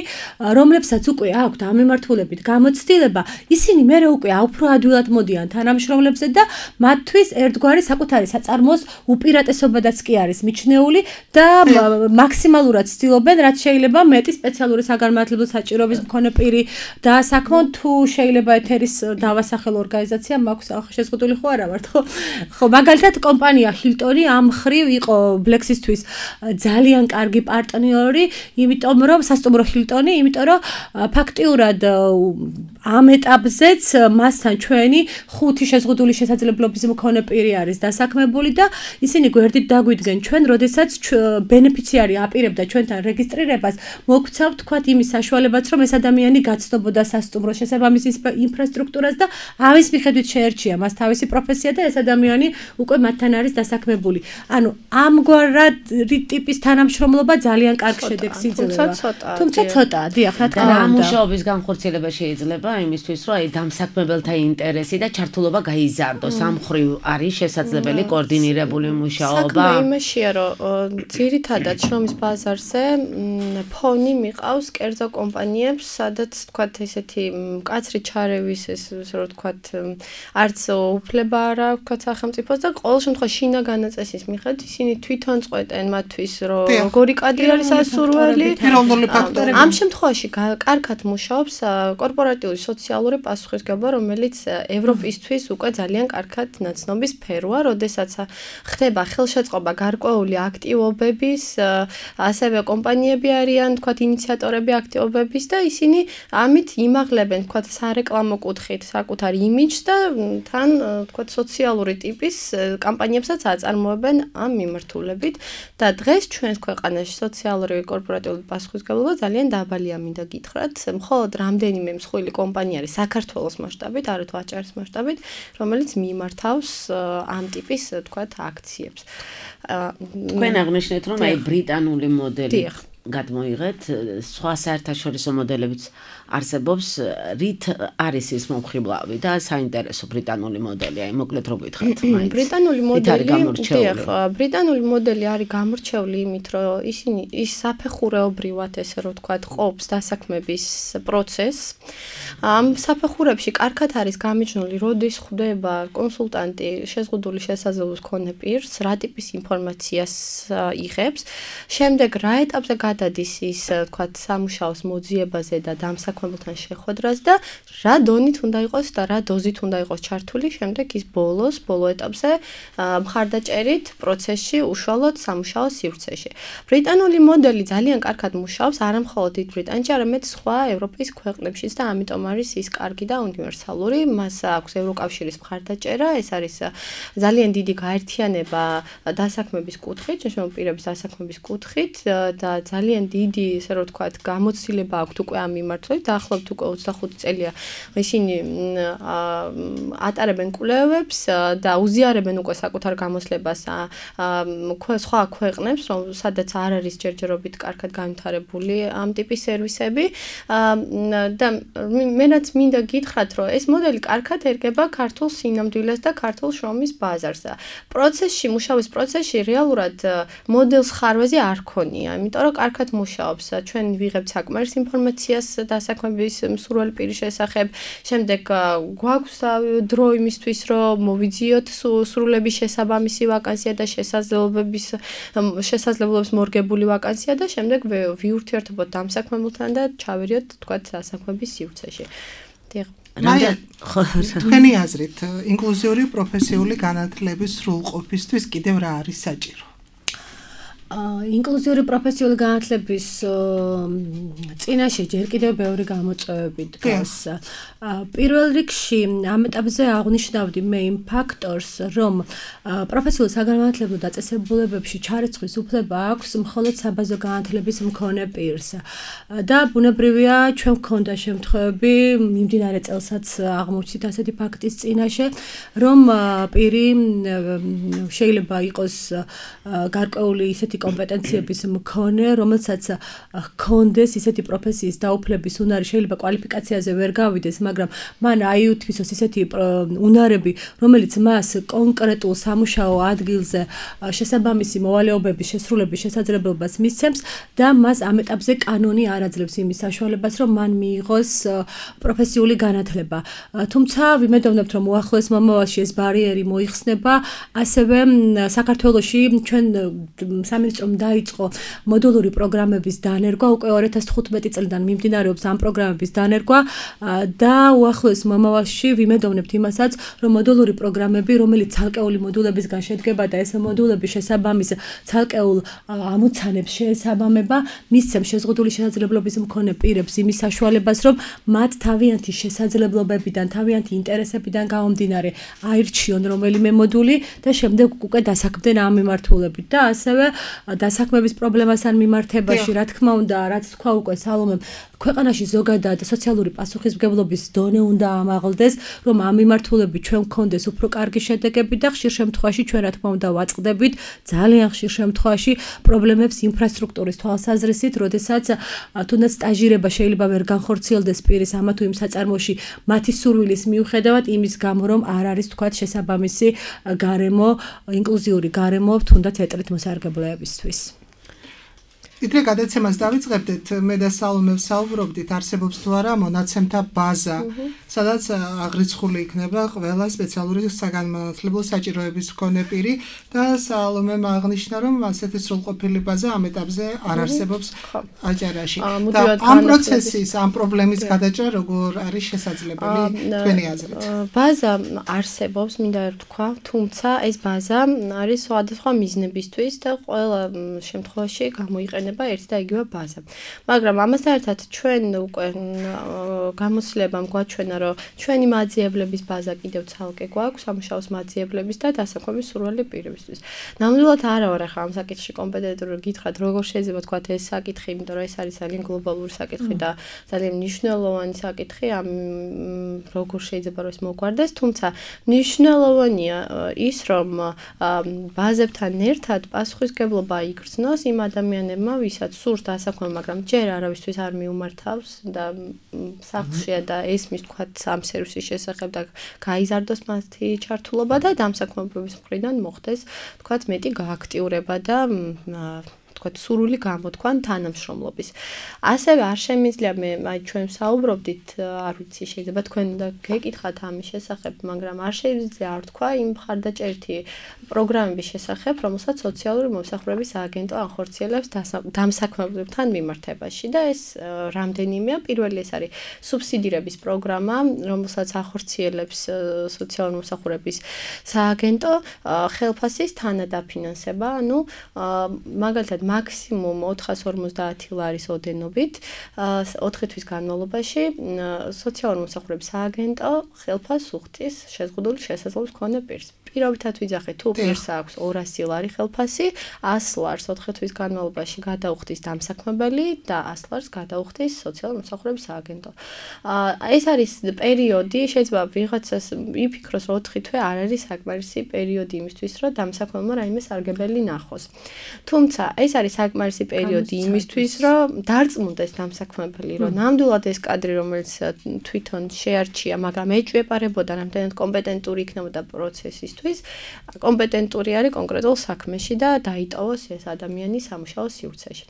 რომლებსაც უკვე აქვთ ამ მიმართულებით გამოცდილება, ისინი მერე უკვე უფრო ადვილად მოდიან თანამშრომლებზე და მათთვის ერთგვარი საკუთარი საწარმოს უპირატესობადაც კი არის მიჩნეული და მაქსიმალურად ცდილობენ, რაც შეიძლება მეტი სპეციალური საგანმანათლებლო საჭიროების მქონე პირი დაასაქმონ, თუ შეიძლება ეთერის დავასახელ ორგანიზაცია მაქვს შეზღუდული ხო არა ვართ ხო? ხო, მაგალითად კომპანია ჰილტონი ამ მხრივ იყო ბლექსისთვის ძალიან კარგი პარტნიორი, იმიტომ რომ სასტუმრო ჰილტონი, იმიტომ რომ ფაქტიურად ამ ეტაპზეც მასთან ჩვენი ხუთი შეზღუდული შესაძლებლობის მქონე პირი არის დასაქმებული და ისინი გვერდით დაგვიდგენ ჩვენ, როდესაც ბენეფიციარი აპირებდა ჩვენთან რეგისტრირებას, მოგვცავთ თქვათ იმის საშუალებაც, რომ ეს ადამიანი გაცნობოდა სასტუმროს შესაბამის ინფრასტრუქტურას და ამის მიხედვით შეერჩია მას თავისი პროფესია და ეს ადამიანი უკვე მათთან არის დასაქმებული. ანუ ამგვარად ტიპის თანამშრომლობა ძალიან კარგ შედეგს იძლევა. თუმცა ცოტაა, დიახ, რა თქმა უნდა. რა მუშაობის განხორციელება შეიძლება იმისთვის, რომ აი დამსაქმებელთა ინტერესი და ჩართულობა გაიზარდოს. ამ მხრივ არის შესაძლებელი კოორდინირებული მუშაობა. საქმე იმაშია, რომ ძირითადად შრომის ბაზარზე ფონი მიყავს კერძო კომპანიებს, სადაც თქვათ ესეთი მკაცრი ჩარევის ეს რო თქვათ არც უფლება არ აქვს სახელმწიფოს და ყოველ შემთხვევაში შინა განაწესის მიხედვით ისინი თვითონ წყვეტენ მათთვის, რომ როგორი კადრი არის ასურველი. ამ შემთხვევაში კარგად მუშაობს კორპორატიული სოციალური პასუხისმგებლობა, რომელიც ევროპისთვის უკვე ძალიან კარგად ნაცნობი სფეროა, როდესაც ხდება ხელშეწყობა გარკვეული აქტივობების, ასევე კომპანიები არიან, თქვათ, ინიციატორები აქტივობების და ისინი ამით იმაღლებენ, თქვათ, სარეკლამო კუთხით საკუთარ იმიჯს და თან, თქვათ, სოციალური ტიპის კამპანიებსაც აწარმოებენ ამ მიმართულებით და დღეს ჩვენს ქვეყანაში სოციალური კორპორატიული პასუხისმგებლობა ძალიან დაბალია, მინდა გითხრათ, მხოლოდ რამდენიმე მსხვილი კომპანია არის საქართველოს მასშტაბით, არათუ აჭარის მასშტაბით, რომელიც მიმართავს ამ ტიპის, თქვათ, აქციებს. თქვენ აღნიშნეთ, რომ აი ბრიტანული მოდელი გადმოიღეთ, სხვა საერთაშორისო მოდელებიც არსებობს, რით არის ის მომხიბლავი და საინტერესო ბრიტანული მოდელი, აი მოკლედ რო გითხრათ, მაინც. ბრიტანული მოდელი, დიახ, ბრიტანული მოდელი არის გამორჩეული იმით, რომ ისინი ის საფეხურეობრივად, ესე რომ ვთქვათ, ყოფს დასაქმების პროცესს. ამ საფეხურებში კარგად არის გამიჯნული, როდის ხვდება კონსულტანტი შეზღუდული შესაძლებლობის მქონე პირს, რა ტიპის ინფორმაციას იღებს, შემდეგ რა ეტაპზე გადადის ის, ვთქვათ, სამუშაოს მოძიებაზე და დამსაქმებელთან შეხვედრას და რა დონით უნდა იყოს და რა დოზით უნდა იყოს ჩართული, შემდეგ ის ბოლოს, ბოლო ეტაპზე მხარდაჭერით პროცესში უშუალოდ სამუშაო სივრცეში. ბრიტანული მოდელი ძალიან კარგად მუშაობს, არა მხოლოდ დიდ ბრიტანეთში, არამედ სხვა ევროპის ქვეყნებშიც და ამიტომ არის ის კარგი და უნივერსალური. მას აქვს ევროკავშირის მხარდაჭერა, ეს არის ძალიან დიდი გაერთიანება დასაქმების კუთხით, შეშმო პირების დასაქმების კუთხით და ძალიან დიდი, ესე რომ ვთქვათ, გამოცდილება აქვთ უკვე ამ მიმართულებით, დაახლოებით უკვე ოცდახუთი წელია ისინი ატარებენ კვლევებს და უზიარებენ უკვე საკუთარ გამოცლებას სხვა ქვეყნებს, რომ სადაც არ არის ჯერჯერობით კარგად განვითარებული ამ ტიპის სერვისები და მენაც მინდა გითხრათ, რომ ეს მოდელი კარგად ერგება ქართულ სინამდვილეს და ქართულ შრომის ბაზარს და პროცესში, მუშაობის პროცესში რეალურად მოდელს ხარვეზე არ ქონია, იმიტომ რომ კარგად მუშაობს. ჩვენ ვიღებთ საკმარის ინფორმაციას დასაქმების მსურველი პირის შესახებ, შემდეგ გვაქვს დრო იმისთვის, რომ მოვიძიოთ სრულების შესაბამისი ვაკანსია და შესაძლებლობების შესაძლებლობებს მორგებული ვაკანსია და შემდეგ ვიურთიერთობოთ დამსაქმებელთან და ჩავერიოთ, თქვათ, დასაქმების სივრცეში. მაია, თქვენი აზრით, ინკლუზიური პროფესიული განათლების სრულყოფისთვის კიდევ რა არის საჭირო? ინკლუზიური პროფესიული განათლების წინაშე ჯერ კიდევ ბევრი გამოწვევები დგას. პირველ რიგში ამ ეტაპზე აღნიშნავდი მე იმ ფაქტორს, რომ პროფესიულ საგანმანათლებლო დაწესებულებებში ჩარიცხვის უფლება აქვს მხოლოდ საბაზო განათლების მქონე პირს. და ბუნებრივია, ჩვენ გვქონდა შემთხვევები, მიმდინარე წელსაც აღმოჩნდით ასეთი ფაქტის წინაშე, რომ პირი შეიძლება იყოს გარკვეული ისეთი კომპეტენციების მქონე, რომელსაც ჰქონდეს ისეთი პროფესიის დაუფლების უნარი, შეიძლება კვალიფიკაციაზე ვერ გავიდეს, მაგრამ მან აიუთვისოს ისეთი უნარები, რომელიც მას კონკრეტულ სამუშაო ადგილზე შესაბამისი მოვალეობების შესრულების შესაძლებლობას მისცემს და მას ამ ეტაპზე კანონი არ აძლევს იმის საშუალებას, რომ მან მიიღოს პროფესიული განათლება. თუმცა ვიმედოვნებთ, რომ უახლოეს მომავალში ეს ბარიერი მოიხსნება, ასევე საქართველოში ჩვენ სამინისტრომ დაიწყო მოდულური პროგრამების დანერგვა, უკვე ორი ათას თხუთმეტი წლიდან მიმდინარეობს ამ პროგრამების დანერგვა და უახლოეს მომავალში ვიმედოვნებთ იმასაც, რომ მოდულური პროგრამები, რომელიც ცალკეული მოდულებისგან შედგება და ეს მოდულები შესაბამის ცალკეულ ამოცანებს შეესაბამება, მისცემს შეზღუდული შესაძლებლობის მქონე პირებს იმის საშუალებას, რომ მათ თავიანთი შესაძლებლობებიდან, თავიანთი ინტერესებიდან გამომდინარე აირჩიონ რომელიმე მოდული და შემდეგ უკვე დასაქმდნენ ამ მიმართულებით და ასევე დასაქმების პრობლემასთან მიმართებაში, რა თქმა უნდა, რაც თქვა უკვე სალომემ, ქვეყანაში ზოგადად სოციალური პასუხისმგებლობის დონე უნდა ამაღლდეს, რომ ამ მიმართულებით ჩვენ გქონდეს უფრო კარგი შედეგები და ხშირ შემთხვევაში ჩვენ რა თქმა უნდა ვაწყდებით ძალიან ხშირ შემთხვევაში პრობლემებს ინფრასტრუქტურის თვალსაზრისით, როდესაც თუნდაც სტაჟირება შეიძლება ვერ განხორციელდეს პირის ამა თუ იმ საწარმოში მათი სურვილის მიუხედავად იმის გამო, რომ არ არის თქვათ შესაბამისი გარემო, ინკლუზიური გარემო თუნდაც ეტლით მოსარგებლეებისთვის. ვიდრე გადაცემას დავიწყებდით, მე და სალომე ვსაუბრობდით, არსებობს თუ არა მონაცემთა ბაზა, სადაც აღრიცხული იქნება ყველა სპეციალური საგანმანათლებლო საჭიროების მქონე პირი და სალომემ აღნიშნა, რომ ასეთი სრულყოფილი ბაზა ამ ეტაპზე არ არსებობს აჭარაში. და ამ პროცესის, ამ პრობლემის გადაჭრა როგორ არის შესაძლებელი თქვენი აზრით? ბაზა არსებობს, მინდა ვთქვა, თუმცა ეს ბაზა არის სხვადასხვა მიზნებისთვის და ყველა შემთხვევაში გამოიყენება ერთი და იგივე ბაზა. მაგრამ ამასთან ერთად ჩვენ უკვე გამოცდილებამ გვაჩვენა, რომ ჩვენი მაძიებლების ბაზა კიდევ ცალკე გვაქვს, სამუშაოს მაძიებლების და დასაქმების სურვილი პირებისთვის. ნამდვილად არა ვარ ახლა ამ საკითხში კომპეტენტური, გითხრათ, როგორ შეიძლება თქვა ეს საკითხი, იმიტომ რომ ეს არის ძალიან გლობალური საკითხი და ძალიან მნიშვნელოვანი საკითხი, ამ როგორ შეიძლება რომ ეს მოგვარდეს, თუმცა მნიშვნელოვანია ის, რომ ბაზებთან ერთად პასუხისმგებლობა იგრძნოს იმ ადამიანებმა, ვისაც სურს დასაქმება, მაგრამ ჯერ არავისთვის არ მიუმართავს და სახლშია და ესმის თქვათ ამ სერვისის შესახებ და გაიზარდოს მათი ჩართულობა და დამსაქმებლობის მხრიდან მოხდეს თქვათ მეტი გააქტიურება და თქვათ სურვილი გამოთქვან თანამშრომლობის. ასევე არ შემიძლია მე აი ჩვენ საუბრობდით, არ ვიცი, შეიძლება თქვენ უნდა გეკითხათ ამის შესახებ, მაგრამ არ შეიძლება არ თქვა იმ მხარდაჭერითი პროგრამების შესახებ, რომელსაც სოციალური მომსახურების სააგენტო ახორციელებს დამსაქმებლებთან მიმართებაში და ეს რამდენიმეა. პირველი ეს არის სუბსიდირების პროგრამა, რომელსაც ახორციელებს სოციალური მომსახურების სააგენტო, ხელფასის თანადაფინანსება, ანუ მაგალითად მაქსიმუმ ოთხას ორმოცდაათი ლარის ოდენობით ოთხი თვის განმავლობაში სოციალური მომსახურების სააგენტო ხელფასს უხდის შეზღუდული შესაძლებლობის მქონე პირს. პირობითად ვიძახეთ, თუ პირს აქვს ორასი ლარი ხელფასი, ასი ლარს ოთხი თვის განმავლობაში გადაუხდის დამსაქმებელი და ასი ლარს გადაუხდის სოციალური მომსახურების სააგენტო. ეს არის პერიოდი, შეიძლება ვიღაცას იფიქროს, რომ ოთხი თვე არ არის საკმარისი პერიოდი იმისთვის, რომ დამსაქმებელმა რაიმე სარგებელი ნახოს. თუმცა ეს არის საკმარისი პერიოდი იმისთვის, რომ დარწმუნდეს დამსაქმებელი, რომ ნამდვილად ეს კადრი, რომელიც თვითონ შეარჩია, მაგრამ ეჭვეპარებოდა რამდენად კომპეტენტური იქნებოდა პროცესისთვის, კომპეტენტური არის კონკრეტულ საქმეში და დაიტოვოს ეს ადამიანი სამუშაო სივრცეში.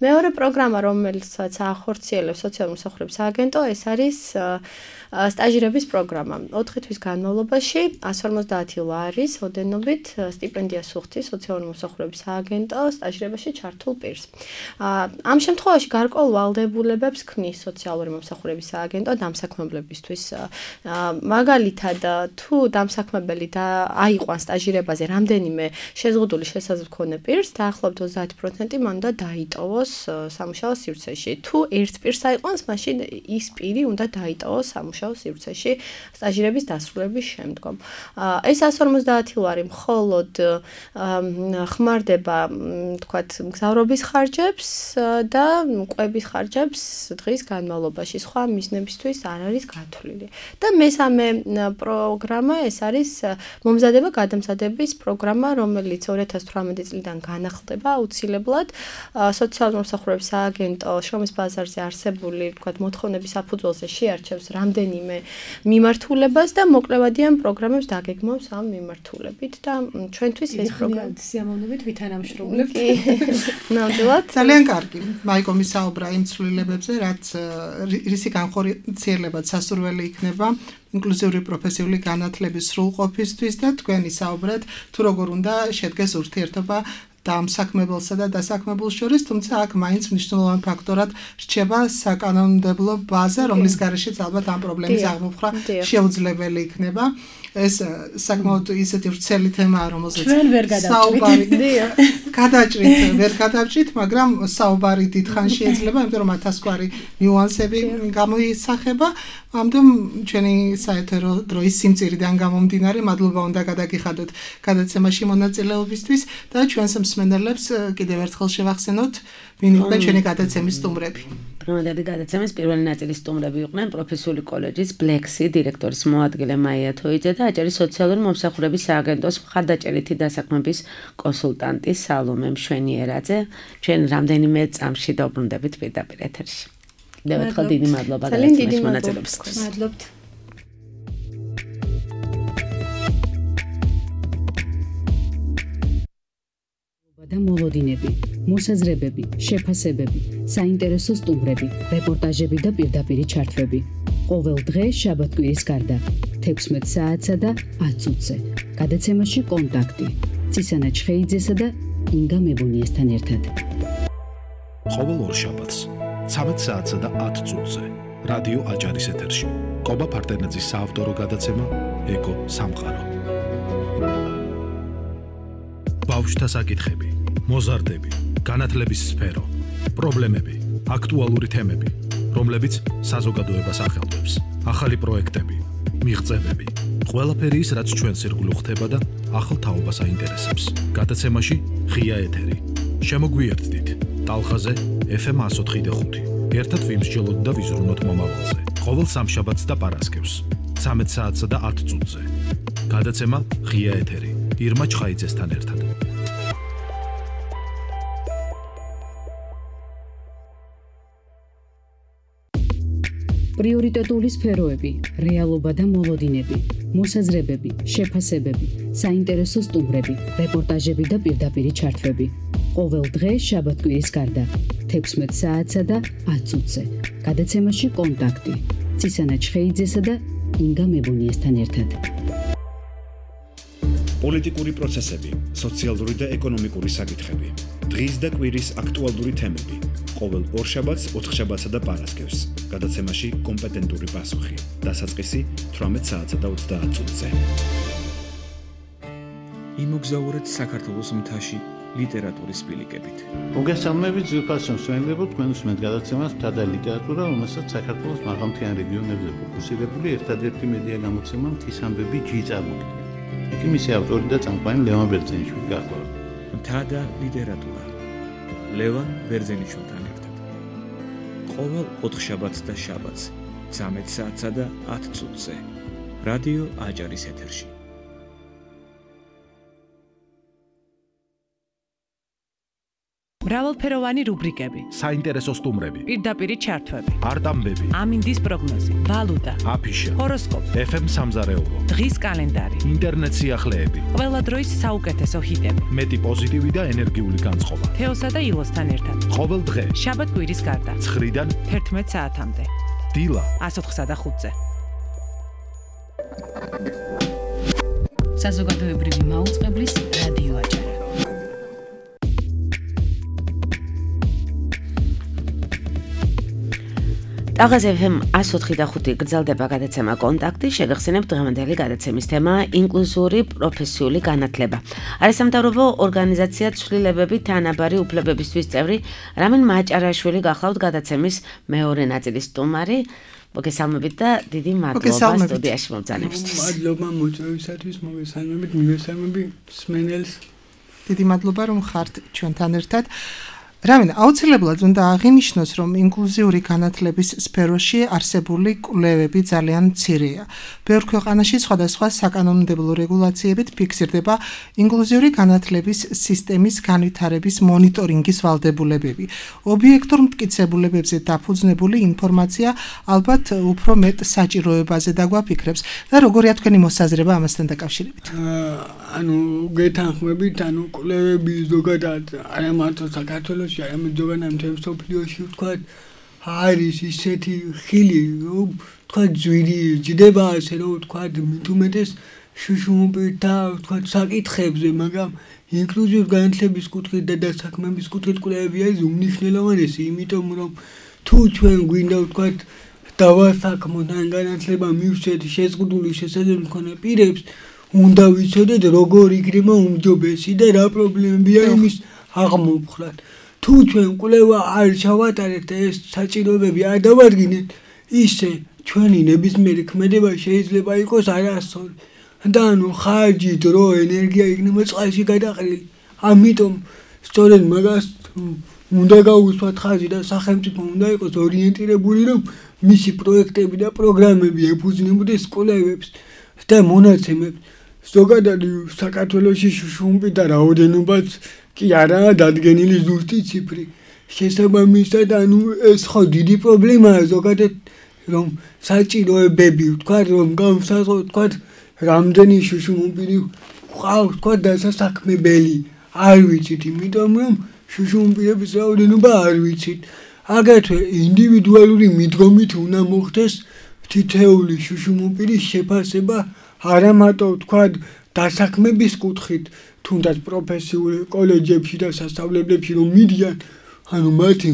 მეორე პროგრამა, რომელსაც ახორციელებს სოციალური მომსახურების სააგენტო, ეს არის სტაჟირების პროგრამა. ოთხი თვის განმავლობაში ასი ორმოცდაათი ლარის ოდენობით სტიპენდიას უხდის სოციალური მომსახურების სააგენტო სტაჟირებაში ჩართულ პირს. ამ შემთხვევაში გარკვეულ ვალდებულებებს ქმნის სოციალური მომსახურების სააგენტო დამსაქმებლებისთვის. მაგალითად, თუ დამსაქმებელი და აიყვანს სტაჟირებაზე რამდენიმე შეზღუდული შესაძლებლობა მქონე პირს, დაახლოებით ოცდაათი პროცენტი მან უნდა დაიტოვოს სამუშაო სივრცეში. თუ ერთ პირს აიყვანს, მაშინ ის პირი უნდა დაიტოვოს სამუშაო სივრცეში სტაჟირების დასრულების შემდგომ. ეს ასი ორმოცდაათი ლარი მხოლოდ ხმარდება, თქვათ, მგზავრობის ხარჯებს და კვების ხარჯებს დღის განმავლობაში. სხვა მიზნებისთვის არ არის გათვლილი. და მესამე პროგრამა ეს არის მომზადება გადამზადების პროგრამა, რომელიც ორი ათას თვრამეტი წლიდან განახლდება აუცილებლად სოციალური მომსახურების სააგენტო შრომის ბაზარზე არსებული, თქვათ, მოთხოვნების საფუძველზე შეარჩევს რამდენიმე მიმართულებას და მოკლევადიან პროგრამებს დაგეგმავს ამ მიმართულებით და ჩვენთვის ეს პროგრამა სიამოვნებით ვითანამშრომლებთ. ნამდვილად ძალიან კარგი. მაიკო მისაუბრა იმ ცვლილებებზე, რაც რისი განხორციელებაც სასურველი იქნება ინკლუზიური პროფესიული განათლების სრულყოფისთვის და თქვენი საუბრად თუ როგორ უნდა შედგეს ურთიერთობა დამსაქმებელსა და დასაქმებულს შორის, თუმცა აქ მაინც მნიშვნელოვან ფაქტორად რჩება საკანონმდებლო ბაზა, რომლის გარეშეც ალბათ ამ პრობლემის აღმოფხვრა შეუძლებელი იქნება. ეს საკმაოდ ისეთი ვრცელი თემაა, რომელზეც ჩვენ ვერ გადავჭრით. გადაჭრით, ვერ გადავჭრით, მაგრამ საუბარი დიდხან შეიძლება, იმიტომ რომ ათასგვარი ნიუანსები გამოისახება. ამიტომ ჩვენი საეთერო დროის სიმწირიდან გამომდინარე, მადლობა უნდა გადაგიხადოთ გადაცემაში მონაწილეობისთვის და ჩვენს მსმენელებს კიდევ ერთხელ შევახსენოთ, ვინ იყვნენ ჩვენი გადაცემის სტუმრები. დღევანდელი გადაცემის პირველი ნაწილის სტუმრები იყვნენ პროფესიული კოლეჯის ბლექსი დირექტორის მოადგილე მაია თოიძე და აჭარის სოციალური მომსახურების სააგენტოს მხარდაჭერითი დასაქმების კონსულტანტი სალომე მშვენიერაძე. ჩვენ რამდენიმე წამში დაუბრუნდებით პირდაპირ ეთერში. კიდევ ერთხელ დიდი მადლობა გადაცემაში მონაწილეობისთვის. მადლობთ. და მოლოდინები, მოსაზრებები, შეფასებები, საინტერესო სტუმრები, რეპორტაჟები და პირდაპირი ჩართვები. ყოველ დღე შაბათ-კვირის გარდა თექვსმეტ საათსა და ათ წუთზე. გადაცემაში კონტაქტი ცისანა ჩხეიძესა და ინგა მებუნიესთან ერთად. ყოველ ორ შაბათს ცამეტ საათსა და ათ წუთზე რადიო აჭარის ეთერში კობა ფარტენაძის საავტორო გადაცემა ეკო სამყარო. ბავშვთა საკითხები, მოზარდები, განათლების სფერო, პრობლემები, აქტუალური თემები, რომლებიც საზოგადოებას ახელვებს, ახალი პროექტები, მიღწევები, ყველაფერი ის, რაც ჩვენს ირგვლივ ხდება და ახალ თაობას აინტერესებს. გადაცემაში ღია ეთერი. შემოგვიერთდით ტალხაზე ეფ ემ εκατო ოთხი და ხუთი. ერთად ვიმსჯელოთ და ვიზრუნოთ მომავალზე. ყოველ სამშაბათს და პარასკევს, ცამეტ საათსა და ათ წუთზე. გადაცემა ღია ეთერი. ირმა ჩხაიძესთან ერთად. პრიორიტეტული სფეროები, რეალობა და მოლოდინები, მოსაზრებები, შეფასებები, საინტერესო სტუმრები, რეპორტაჟები და პირდაპირი ჩართვები. ყოველ დღე შაბათ-კვირის გარდა თექვსმეტ საათსა და ათ წუთზე. გადაცემაში კონტაქტი ცისანა ჩხეიძესა და ინგა მებუნიესთან ერთად. პოლიტიკური პროცესები, სოციალური და ეკონომიკური საკითხები, დღის და კვირის აქტუალური თემები. ყოველ ორშაბათს, ოთხშაბათსა და პარასკევს. გადაცემაში კომპეტენტური პასუხი. დასაწყისი თვრამეტ საათსა და ოცდაათ წუთზე. იმოგზაურეთ საქართველოს მთაში ლიტერატურის სპილიკებით. მოგესალმებით ძვირფასო მსმენელებო, თქვენ უსმენთ გადაცემას მთა და ლიტერატურა, რომელსაც საქართველოს მაღალმთიან რეგიონებზე ფოკუსირებული ერთადერთი მედია გამოცემა მთის ამბები ჯი წარმოგიდგენთ. იქ მისი ავტორი და წამყვანი ლევან ბერძენიშვილი გახლავთ. მთა და ლიტერატურა ლევან ბერძენიშვილთან ერთად. ყოველ ოთხშაბათს და შაბათს ცამეტ საათსა და ათ წუთზე რადიო აჭარის ეთერში. მრავალფეროვანი რუბრიკები, საინტერესო სტუმრები, პირდაპირი ჩართვები, არტამბები, ამინდის პროგნოზი, ვალუტა, აფიშა, ჰოროსკოპი, ეფ ემ სამზარეულო, დღის კალენდარი, ინტერნეტ სიახლეები, ყველა დროის საუკეთესო ჰიტები, მეტი პოზიტივი და ენერგიული განწყობა. თეოსა და ილოსთან ერთად. ყოველ დღე შაბათ-კვირის გარდა ცხრიდან თერთმეტ საათამდე. დილა ას ოთხსა და ხუთზე. საზოგადოებრივი მაუწყებლის რადიო აჭარა. ტაღაზ ეფ ემ ას ოთხი და ხუთი გრძელდება გადაცემა კონტაქტი, შეგახსენებთ დღევანდელი გადაცემის თემა ინკლუზიური პროფესიული განათლება. არასამთავრობო ორგანიზაცია ცვლილებები თანაბარი უფლებებისთვის წევრი რამინ მაჭარაშვილი გახლავთ გადაცემის მეორე ნაწილის სტუმარი. მოგესალმებით და დიდი მადლობა სტუდიაში მომბრძანებისთვის. მადლობა მოწვევისათვის, მოგესალმებით, მივესალმები სმენელს. დიდი მადლობა რომ ხართ ჩვენთან ერთად. რამინ აუცილებლად უნდა აღინიშნოს, რომ ინკლუზიური განათლების სფეროში არსებული კვლევები ძალიან მცირეა. ბევრ ქვეყანაში სხვადასხვა საკანონმდებლო რეგულაციებით ფიქსირდება ინკლუზიური განათლების სისტემის განვითარების მონიტორინგის ვალდებულებები. ობიექტურ მტკიცებულებებზე დაფუძნებული ინფორმაცია ალბათ უფრო მეტ საჭიროებაზე დაგვაფიქრებს და როგორია თქვენი მოსაზრება ამასთან დაკავშირებით? ანუ გეთანხმებით, ანუ კვლევები ზოგადად არა მარტო საქართველოს არამედ ზოგადად მთელ მსოფლიოში ვთქვათ არის ისეთი ხილი, რომ ვთქვათ ძვირი ჯდება ასე რომ ვთქვათ მithumetes შუშუმპირთა ვთქვათ საკითხებზე, მაგრამ ინკლუზიური განათლების კუთხით და დასაქმების კუთხით კვლევები არის უმნიშვნელოვანესი, იმიტომ რომ თუ ჩვენ გვინდა ვთქვათ დავასაქმოთ ან განათლება მივცეთ შეზღუდული შესაძლებლობები მქონე პირებს, უნდა ვიცოდეთ როგორ იქნება უმჯობესი და რა პრობლემებია იმის აღმოფხვრად. თუ ჩვენ კვლევა არ ჩავატარებთ და ეს საჭიროებები არ დავადგინეთ, ისე ჩვენი ნებისმიერი ქმედება შეიძლება იყოს არასწორი და ანუ ხარჯი, დრო, ენერგია იქნება წყალში გადაყრილი. ამიტომ სწორედ მაგას უნდა გაუსვათ ხაზი და სახელმწიფო უნდა იყოს ორიენტირებული, რომ მისი პროექტები და პროგრამები ეფუძნებოდეს კვლევებს და მონაცემებს. ზოგადად საქართველოში შუშუმპირთა რაოდენობაც კი არაა დადგენილი ზუსტი ციფრი. შესაბამისად, ანუ ეს ხო დიდი პრობლემაა ზოგადად, რომ საჭიროებები ვთქვათ, რომ განსაზღვროთ ვთქვათ, რამდენი შუშუმპირი ყავს ვთქვათ დასასაქმებელი. არ ვიცით, იმიტომ რომ შუშუმპირების რაოდენობა არ ვიცით. აგრეთვე ინდივიდუალური მიდგომით უნდა მოხდეს თითეული შუშუმპირის შეფასება, არა მარტო ვთქვათ დასაქმების კუთხით, თუნდაც პროფესიულ კოლეჯებში და სასწავლებლებში რომ მიდიან, ანუ მათი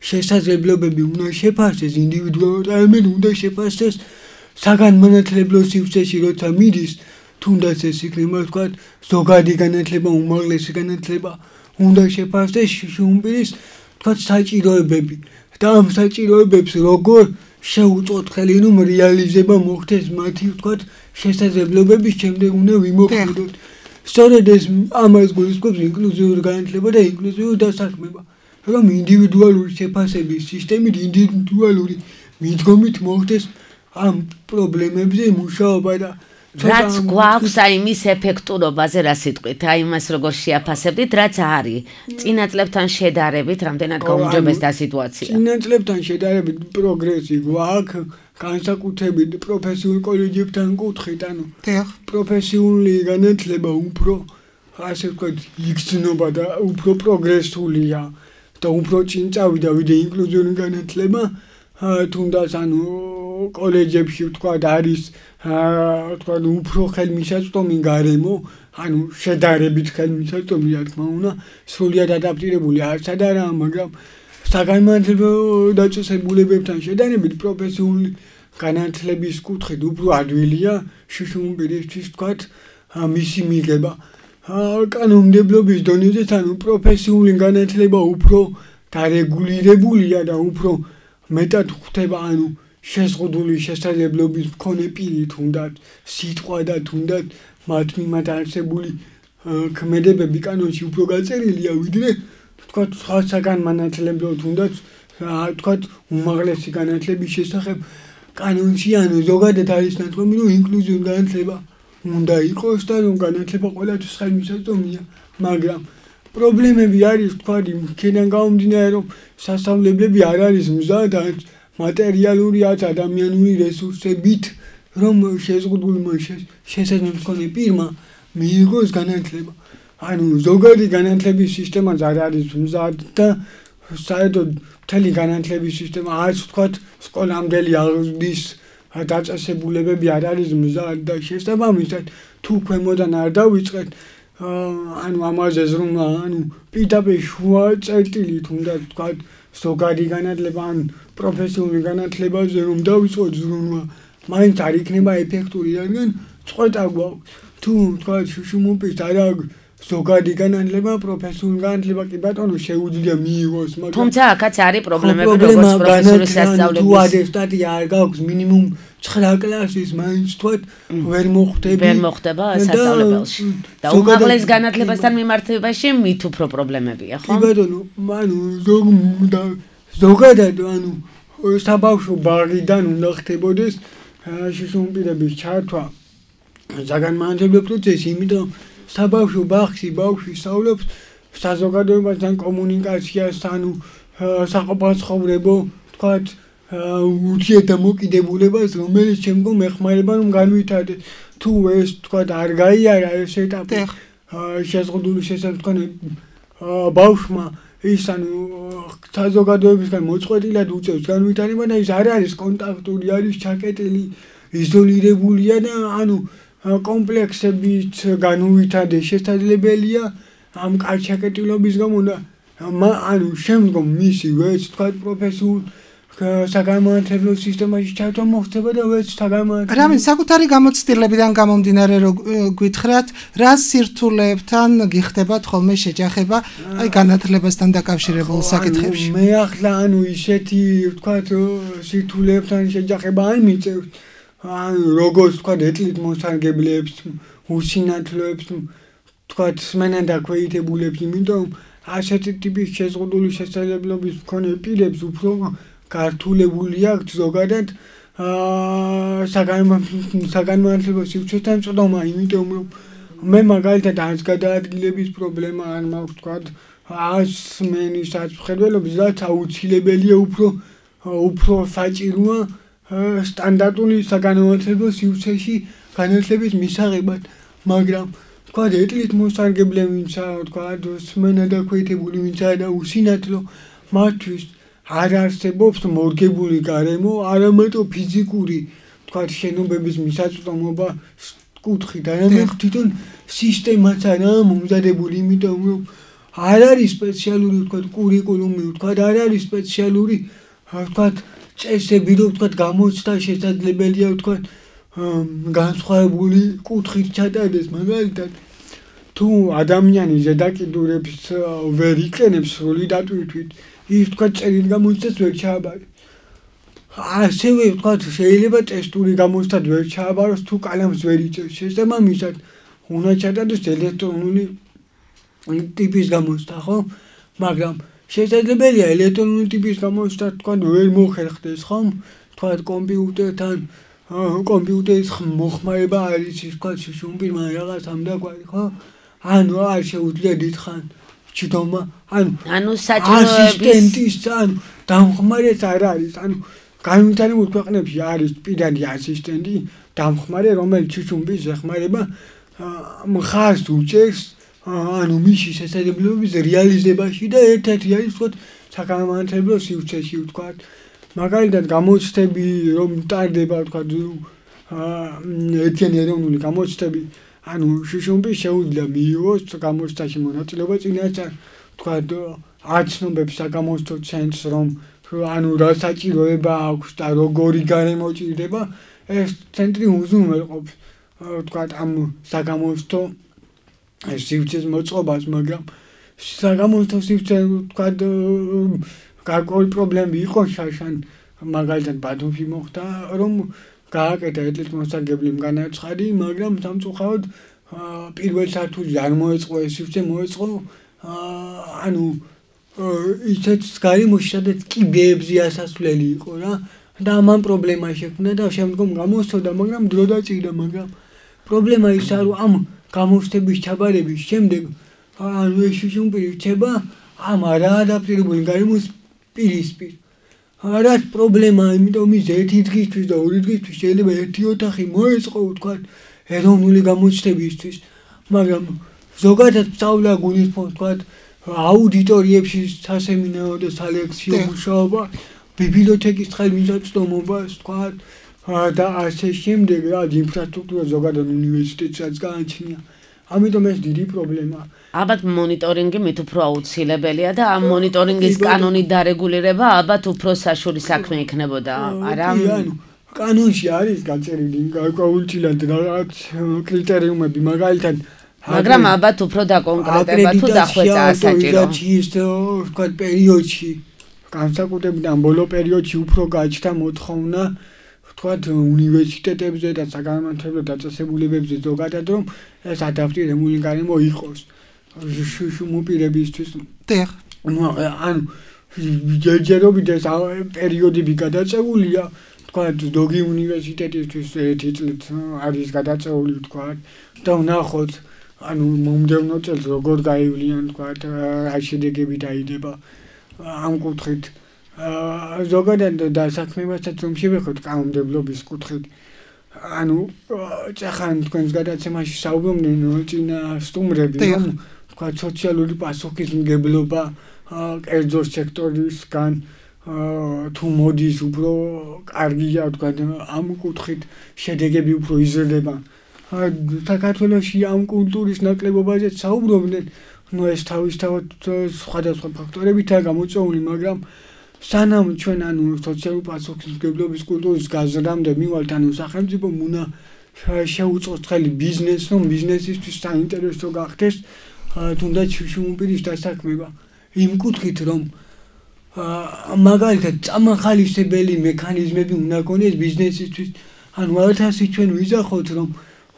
შესაძლებლობები უნდა შეფასდეს ინდივიდუალურად, არამედ უნდა შეფასდეს საგანმანათლებლო სივრცეში, როცა მიდის, თუნდაც ეს იქნება ვთქვათ ზოგადი განათლება, უმაღლესი განათლება, უნდა შეფასდეს შუშუმპირის ვთქვათ საჭიროებები და ამ საჭიროებებს როგორ შეუწყოთ ხელი, რომ რეალიზება მოხდეს მათი ვთქვათ შესაძლებლობების შემდეგ უნდა ვიმოქმედოთ. სწორედ ეს ამას გულისხმობს ინკლუზიური განათლება და ინკლუზიური დასაქმება, რომ ინდივიდუალური შეფასების სისტემით, ინდივიდუალური მიდგომით მოხდეს ამ პრობლემებზე მუშაობა და რაც გვაქვს აი მის ეფექტურობაზე რა სიტყვით, აი მას როგორ შეაფასებდით, რაც არის წინა წლებთან შედარებით, რამდენად გაუმჯობესდა სიტუაცია. წინა წლებთან შედარებით პროგრესი გვაქვს, განსაკუთრებით პროფესიულ კოლეჯებთან კუთხით, ანუ პროფესიული განათლება უფრო ასე ვთქვათ იგრძნობა და უფრო პროგრესულია და უფრო წინ წავიდა ვიდრე ინკლუზიური განათლება, თუნდაც ანუ კოლეჯებში ვთქვათ არის ვთქვათ უფრო ხელმისაწვდომი გარემო, ანუ შედარებით ხელმისაწვდომი, რა თქმა უნდა, სრულად ადაპტირებული არც არაა, მაგრამ საგანმანათლებლო დაწესებულებებთან შედარებით პროფესიული განათლების კუთხით უფრო ადვილია შუშუმპირისთვის ვთქვათ მისი მიღება. კანონმდებლობის დონეზე ანუ პროფესიული განათლება უფრო დარეგულირებულია და უფრო მეტად ხდება ანუ შეზღუდული შესაძლებლობის მქონე პირი თუნდაც სიტყვა და თუნდაც მათ მიმართ არსებული ქმედებები კანონში უფრო გაწერილია, ვიდრე თქვა სხვა საგანმანათლებლო თუნდაც თქვა უმაღლესი განათლების შესახებ კანონში ანუ ზოგადად არის ნათქვამი, რომ ინკლუზიური განათლება უნდა იყოს და რომ განათლება ყველასთვის ხელმისაწვდომია, მაგრამ პრობლემები არის თქვა იქიდან გამომდინარე, რომ სასწავლებლები არ არის მზად მატერიალური ან ადამიანური რესურსებით, რომ შეზღუდულმა შესაძლებლობა მქონე პირმა მიიღოს განათლება. ანუ ზოგადი განათლების სისტემაც არ არის მზად და საერთოდ მთელი განათლების სისტემა არც თქვა სკოლამდელი აღზრდის დაწესებულებები არ არის მზად და შესაბამისად თუ ქვემოდან არ დავიწყეთ ანუ ამაზე ზრუნვა, ანუ პირდაპირ შუა წერტილი თუნდაც თქვა ზოგადი განათლება ან პროფესიული განათლებაზე რომ დავიწყოთ ზრუნვა, მაინც არ იქნება ეფექტური, რადგან წყვეტა გვაქვს. თუ თქვა შუშუმუპის არ აქვს ზოგადი განათლება, პროფესიული განათლება კი ბატონო შეუძლია მიიღოს, მაგრამ თუმცა აქაც არის პრობლემები, როგორც პროფესიული სასწავლებლების. თუ ატესტატი არ გაქვს მინიმუმ ცხრა კლასის, მაინც თქვა ვერ მოხვდები. ვერ მოხვდება სასწავლებელში. და უმაღლეს განათლებასთან მიმართებაში მით უფრო პრობლემებია, ხო? კი ბატონო, ანუ ზოგადად ანუ საბავშვო ბაღიდან უნდა ხდებოდეს შუშუმპირების ჩართვა საგანმანათლებლო პროცესი, იმიტომ საბავშვო ბაღში ბავშვი სწავლობს საზოგადოებასთან კომუნიკაციას, ანუ საყოფაცხოვრებო, თქვათ, ურთიერთდამოკიდებულებას, რომელიც შემდგომ ეხმარება რომ განვითარდეს. თუ ეს თქვათ არ გაიარა ეს ეტაპი შეზღუდული შესაძლებლობანი ბავშვმა ის ანუ საზოგადოებისგან მოწყვეტილად უწევს განვითარება და ის არ არის კონტაქტური, არის ჩაკეტილი, იზოლირებულია და ანუ კომპლექსებით განუვითარდეს შესაძლებელია ამ კარჩაკეტილობის გამო და ანუ შემდგომ მისი ვეც თქვა პროფესიულ საგანმანათლებლო სისტემაში ჩართვა მოხდება და ვეც საგანმანათლებლო რამე საკუთარი გამოცდილებიდან გამომდინარე რომ გითხრათ, რა სირთულეებთან გიხდებათ ხოლმე შეჯახება აი განათლებასთან დაკავშირებულ საკითხებში? მე ახლა ანუ ისეთი თქვა სირთულეებთან შეჯახება არ მიწევს. ანუ როგორც თქვა ეტლით მოსარგებლეებს, უსინათლოებს, თქვა სმენადაქვეითებულებს, იმიტომ ასეთი ტიპის შეზღუდული შესაძლებლობის მქონე პირებს უფრო გართულებული აქვთ ზოგადად საგანმანათლებლო სივრცესთან წვდომა, იმიტომ რომ მე მაგალითად არც გადაადგილების პრობლემა არ მაქვს, თქვა არც სმენის აღწმხედველობის, რაც აუცილებელია უფრო უფრო საჭიროა სტანდარტული საგანმანათლებლო სივრცეში განათლების მისაღებად, მაგრამ თქვა ეტლით მოსარგებლე ვინცა, თქვა სმენადაქვეითებული ვინცა და უსინათლო, მათთვის არ არსებობს მორგებული გარემო, არამედ ფიზიკური თქვა შენობების მისაწვდომობა კუთხით, არამედ თვითონ სისტემაც არაა მომზადებული, იმიტომ რომ არ არის სპეციალური თქვა კურიკულუმი, თქვა არ არის სპეციალური თქვა წესები, რომ თქვა გამოცდა შესაძლებელია თქვა განსხვავებული კუთხით ჩატარდეს, მაგალითად თუ ადამიანი ზედაკიდურებს ვერ იყენებს სრული დატვირთვით, ის თქვა წერილ გამოცდას ვერ ჩააბარებს. ასევე თქვა შეიძლება ტესტური გამოცდად ვერ ჩააბაროს თუ კალამს ვერ იწევს. შესაბამისად უნდა ჩატარდეს ელექტრონული ტიპის გამოცდა, ხო? მაგრამ შესაძლებელია ელექტრონული ტიპის გამოცდა თქვა ვერ მოხერხდეს, ხო? თქვა კომპიუტერთან კომპიუტერის მოხმარება არის ის თქვა შუშუმპირმა რაღაც ამდაგვარი, ხო? ანუ არ შეუძლია დიდხან ჩდომა, ანუ ანუ საჭიროების ასისტენტის ანუ დამხმარეს არ არის, ანუ განვითარებულ ქვეყნებში არის პირადი ასისტენტი, დამხმარე, რომელიც შუშუმპირს ეხმარება მხარს უჭერს ანუ მისი შესაძლებლობების რეალიზებაში და ერთ-ერთი არის თქვა საგანმანათლებლო სივრცეში თქვა მაგალითად გამოცდები რომ ტარდება თქვა ერთიანი ეროვნული გამოცდები ანუ შუშუმპირს შეუძლია მიიღოს გამოცდაში მონაწილეობა წინასწარ თქვა აცნობებს საგამოცდო ცენტრს რომ ანუ რა საჭიროება აქვს და როგორი გარემო ჭირდება ეს ცენტრი უზრუნველყოფს თქვა ამ საგამოცდო სივრცეს მოწყობას, მაგრამ საგამოცდო სივრცე თქვა გარკვეული პრობლემები იყო შაშან მაგალითად ბათუმში მოხდა რომ გააკეთა ეტლით მოსარგებლემ განაცხადი, მაგრამ სამწუხაროდ პირველ სართულში არ მოეწყო ეს სივრცე მოეწყო ანუ ისეთ გარემოში სადაც კიბეებზე ასასვლელი იყო რა და ამან პრობლემა შექმნა და შემდგომ გამოსწოდა მაგრამ დრო დაჭირდა მაგრამ პრობლემა ის არის რომ ამ გამოსწდების ჩაბარების შემდეგ ანუ ეს შუშუმპირი რჩება ამ არაადაპტირებული გარემოს პირისპირ რაც პრობლემაა იმიტომ ის ერთი დღისთვის და ორი დღისთვის შეიძლება ერთი ოთახი მოეწყო თქვა ეროვნული გამოცდებისთვის მაგრამ ზოგადად სწავლა გულისხმობს თქვა აუდიტორიებში სასემინარო და სალექციო მუშაობა ბიბლიოთეკის ხელმისაწვდომობას თქვა და ასე შემდეგ რა ინფრასტრუქტურა ზოგადად უნივერსიტეტსაც გააჩნია ამიტომ ეს დიდი პრობლემაა ალბათ მონიტორინგი მით უფრო აუცილებელია და ამ მონიტორინგის კანონით დარეგულირება ალბათ უფრო საშუალო საქმე იქნებოდა არა კანონში არის გაწერილი გაუჩილად რაღაც კრიტერიუმები მაგალითად მაგრამ ალბათ უფრო დაკონკრეტება თუ დახვეწაა საჭირო ის თქვა პერიოდში განსაკუთრებულად ბოლო პერიოდში უფრო გაჩნდა მოთხოვნა თქვა უნივერსიტეტებზე და საგანმანათლებლო დაწესებულებებზე ზოგადად რომ ეს ადაპტირებული გარემო იყოს შუშუმპირებისთვის დიახ ანუ ჯერჯერობით ეს პერიოდები გადაწეულია თქვა ზოგი უნივერსიტეტისთვის ერთი წლით არის გადაწეული თქვა და ვნახოთ ანუ მომდევნო წელს როგორ გაივლიან თქვა რა შედეგები დაიდება ამ კუთხით ზოგადად დასაქმებასაც რომ შევეხოთ კანონმდებლობის კუთხით ანუ წახან თქვენს გადაცემაში საუბრობდნენ წინა სტუმრები რომ თქვა სოციალური პასუხისმგებლობა კერძო სექტორისგან თუ მოდის უფრო კარგია თქვა ამ კუთხით შედეგები უფრო იზრდება საქართველოში ამ კულტურის ნაკლებობაზე საუბრობდნენ ნუ ეს თავისთავად სხვადასხვა ფაქტორებითაა გამოწვეული მაგრამ სანამ ჩვენ ანუ სოციალური პასუხისმგებლობის კულტურის გაზრდამდე მივალთ ანუ სახელმწიფო უნდა შეუწყოს ხელი ბიზნესს რომ ბიზნესისთვის საინტერესო გახდეს თუნდაც შუშუმპირის დასაქმება იმ კუთხით რომ მაგალითად წამახალისებელი მექანიზმები უნდა გქონდეს ბიზნესისთვის ანუ არათასი ჩვენ ვიზახოთ რომ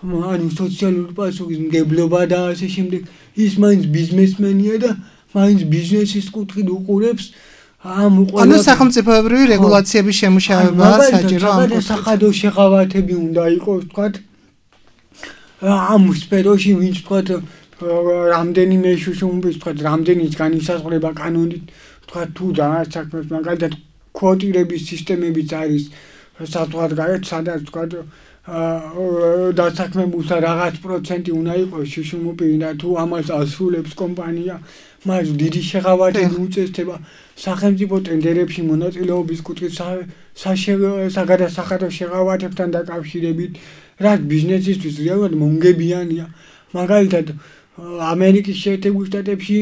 ანუ სოციალური პასუხისმგებლობა და ასე შემდეგ ის მაინც ბიზნესმენია და მაინც ბიზნესის კუთხით უყურებს ამ ანუ სახელმწიფოებრივი რეგულაციების შემუშავება საჭირო ამ სახადო შეღავათები უნდა იყოს თქვა ამ სფეროში ვინც თქვა რამდენიმე შუშუმპის თქვა რამდენიც განისაზღვრება კანონით თქვა თუ და საქმეს მაგალითად კვოტირების სისტემებიც არის საზღვარგარეთ სადაც თქვა დასაქმებულთა რაღაც პროცენტი უნდა იყოს შუშუმპი და თუ ამას ასრულებს კომპანია მას დიდი შეღავათები უწესდება სახელმწიფო ტენდერებში მონაწილეობის კუთხით საგადასახადო შეღავათებთან დაკავშირებით რაც ბიზნესისთვის რეალურად მომგებიანია მაგალითად ამერიკის შეერთებულ შტატებში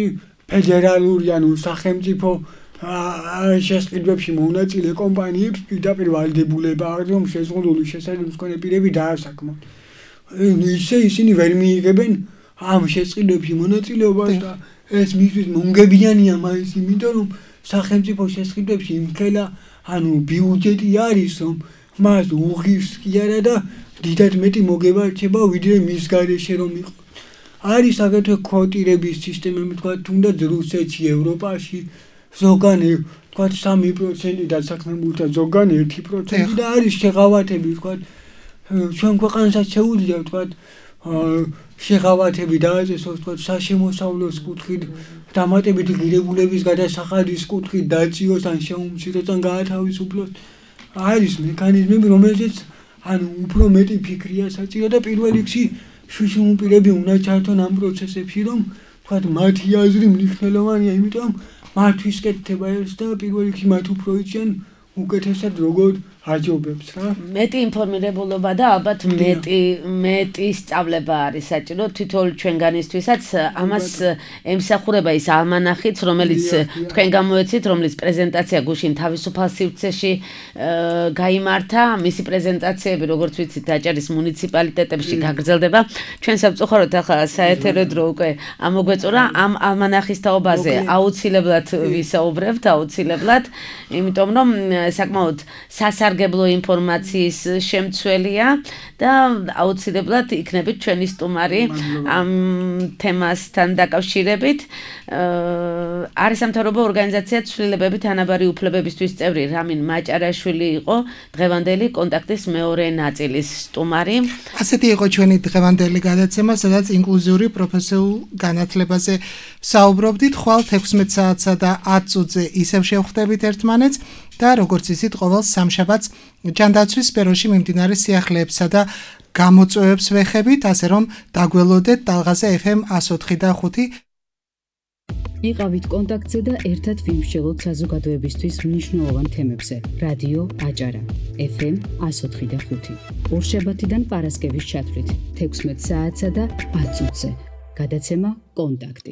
ფედერალური ანუ სახელმწიფო შესყიდვებში მონაწილე კომპანიებს პირდაპირ ვალდებულება აქვს რომ შეზღუდული შესაძლებელი მქონე პირები დაასაქმოთ ისე ისინი ვერ მიიღებენ ამ შესყიდვებში მონაწილეობას და ეს მისთვის მომგებიანია მაინც იმიტომ რომ სახელმწიფო შესყიდვებში იმხელა ანუ ბიუჯეტი არის რომ მას უღირს კი არა და დიდად მეტი მოგება რჩება ვიდრე მის გარეშე რომ იყოს არის აგრეთვე კვოტირების სისტემები თქვა თუნდაც რუსეთში ევროპაში ზოგან თქვა სამი პროცენტი დასაქმებულთა ზოგან ერთი პროცენტი და არის შეღავათები თქვა ჩვენ ქვეყანასაც შეუძლია თქვა შეღავათები დააწესოს თქვა საშემოსავლოს კუთხით დამატებითი ღირებულების გადასახადის კუთხით დაწიოს ან შეუმციროს ან გაათავისუფლოს არის მექანიზმები რომელზეც ანუ უფრო მეტი ფიქრია საჭირო და პირველ რიგში შუშუმპირები უნდა ჩართონ ამ პროცესებში რომ თქვა მათი აზრი მნიშვნელოვანია იმიტომ მართვის კეთება ეს და პირველ რიგში მათ უფრო იციან უკეთესად როგორ აჯობებს რა მეტი ინფორმირებულობა და ალბათ მეტი მეტი სწავლება არის საჭირო თითოეულ ჩვენგანისთვისაც ამას ემსახურება ის ალმანახიც რომელიც თქვენ გამოეცით რომლის პრეზენტაცია გუშინ თავისუფალ სივრცეში გაიმართა მისი პრეზენტაციები როგორც ვიცით დაჭერის მუნიციპალიტეტებში გაგრძელდება ჩვენ სამწუხაროდ ახლა საეთერო დრო უკვე ამოგვეწურა ამ ალმანახის თაობაზე აუცილებლად ვისაუბრებთ აუცილებლად იმიტომ რომ საკმაოდ სასარ სასარგებლო ინფორმაციის შემცველია და აუცილებლად იქნებით ჩვენი სტუმარი ამ თემასთან დაკავშირებით. არის სამთავრობო ორგანიზაცია ცვლილებებით თანაბარი უფლებებისთვის წევრი რამინ მაჭარაშვილი იყო დღევანდელი კონტაქტის მეორე ნაწილის სტუმარი. ასეთი იყო ჩვენი დღევანდელი გადაცემა, სადაც ინკლუზიური პროფესიულ განათლებაზე საუბრობდით. ხვალ თექვსმეტ საათსა და ათ წუთზე ისევ შევხვდებით ერთმანეთს და როგორც იცით, ყოველ სამშაბათს ჯანდაცვის სფეროში მიმდინარე სიახლეებსა და გამოწვევებს ვეხებით, ასე რომ დაგველოდეთ ტალღაზე ეფ ემ εκατო ოთხი და ხუთი. იყავით კონტაქტზე და ერთად ვიმსჯელოთ საზოგადოებისთვის მნიშვნელოვან თემებზე. რადიო აჭარა ეფ ემ εκατო ოთხი და ხუთი. ორშაბათიდან პარასკევის ჩათვლით თექვსმეტ საათსა და ათ წუთზე. გადაცემა კონტაქტი.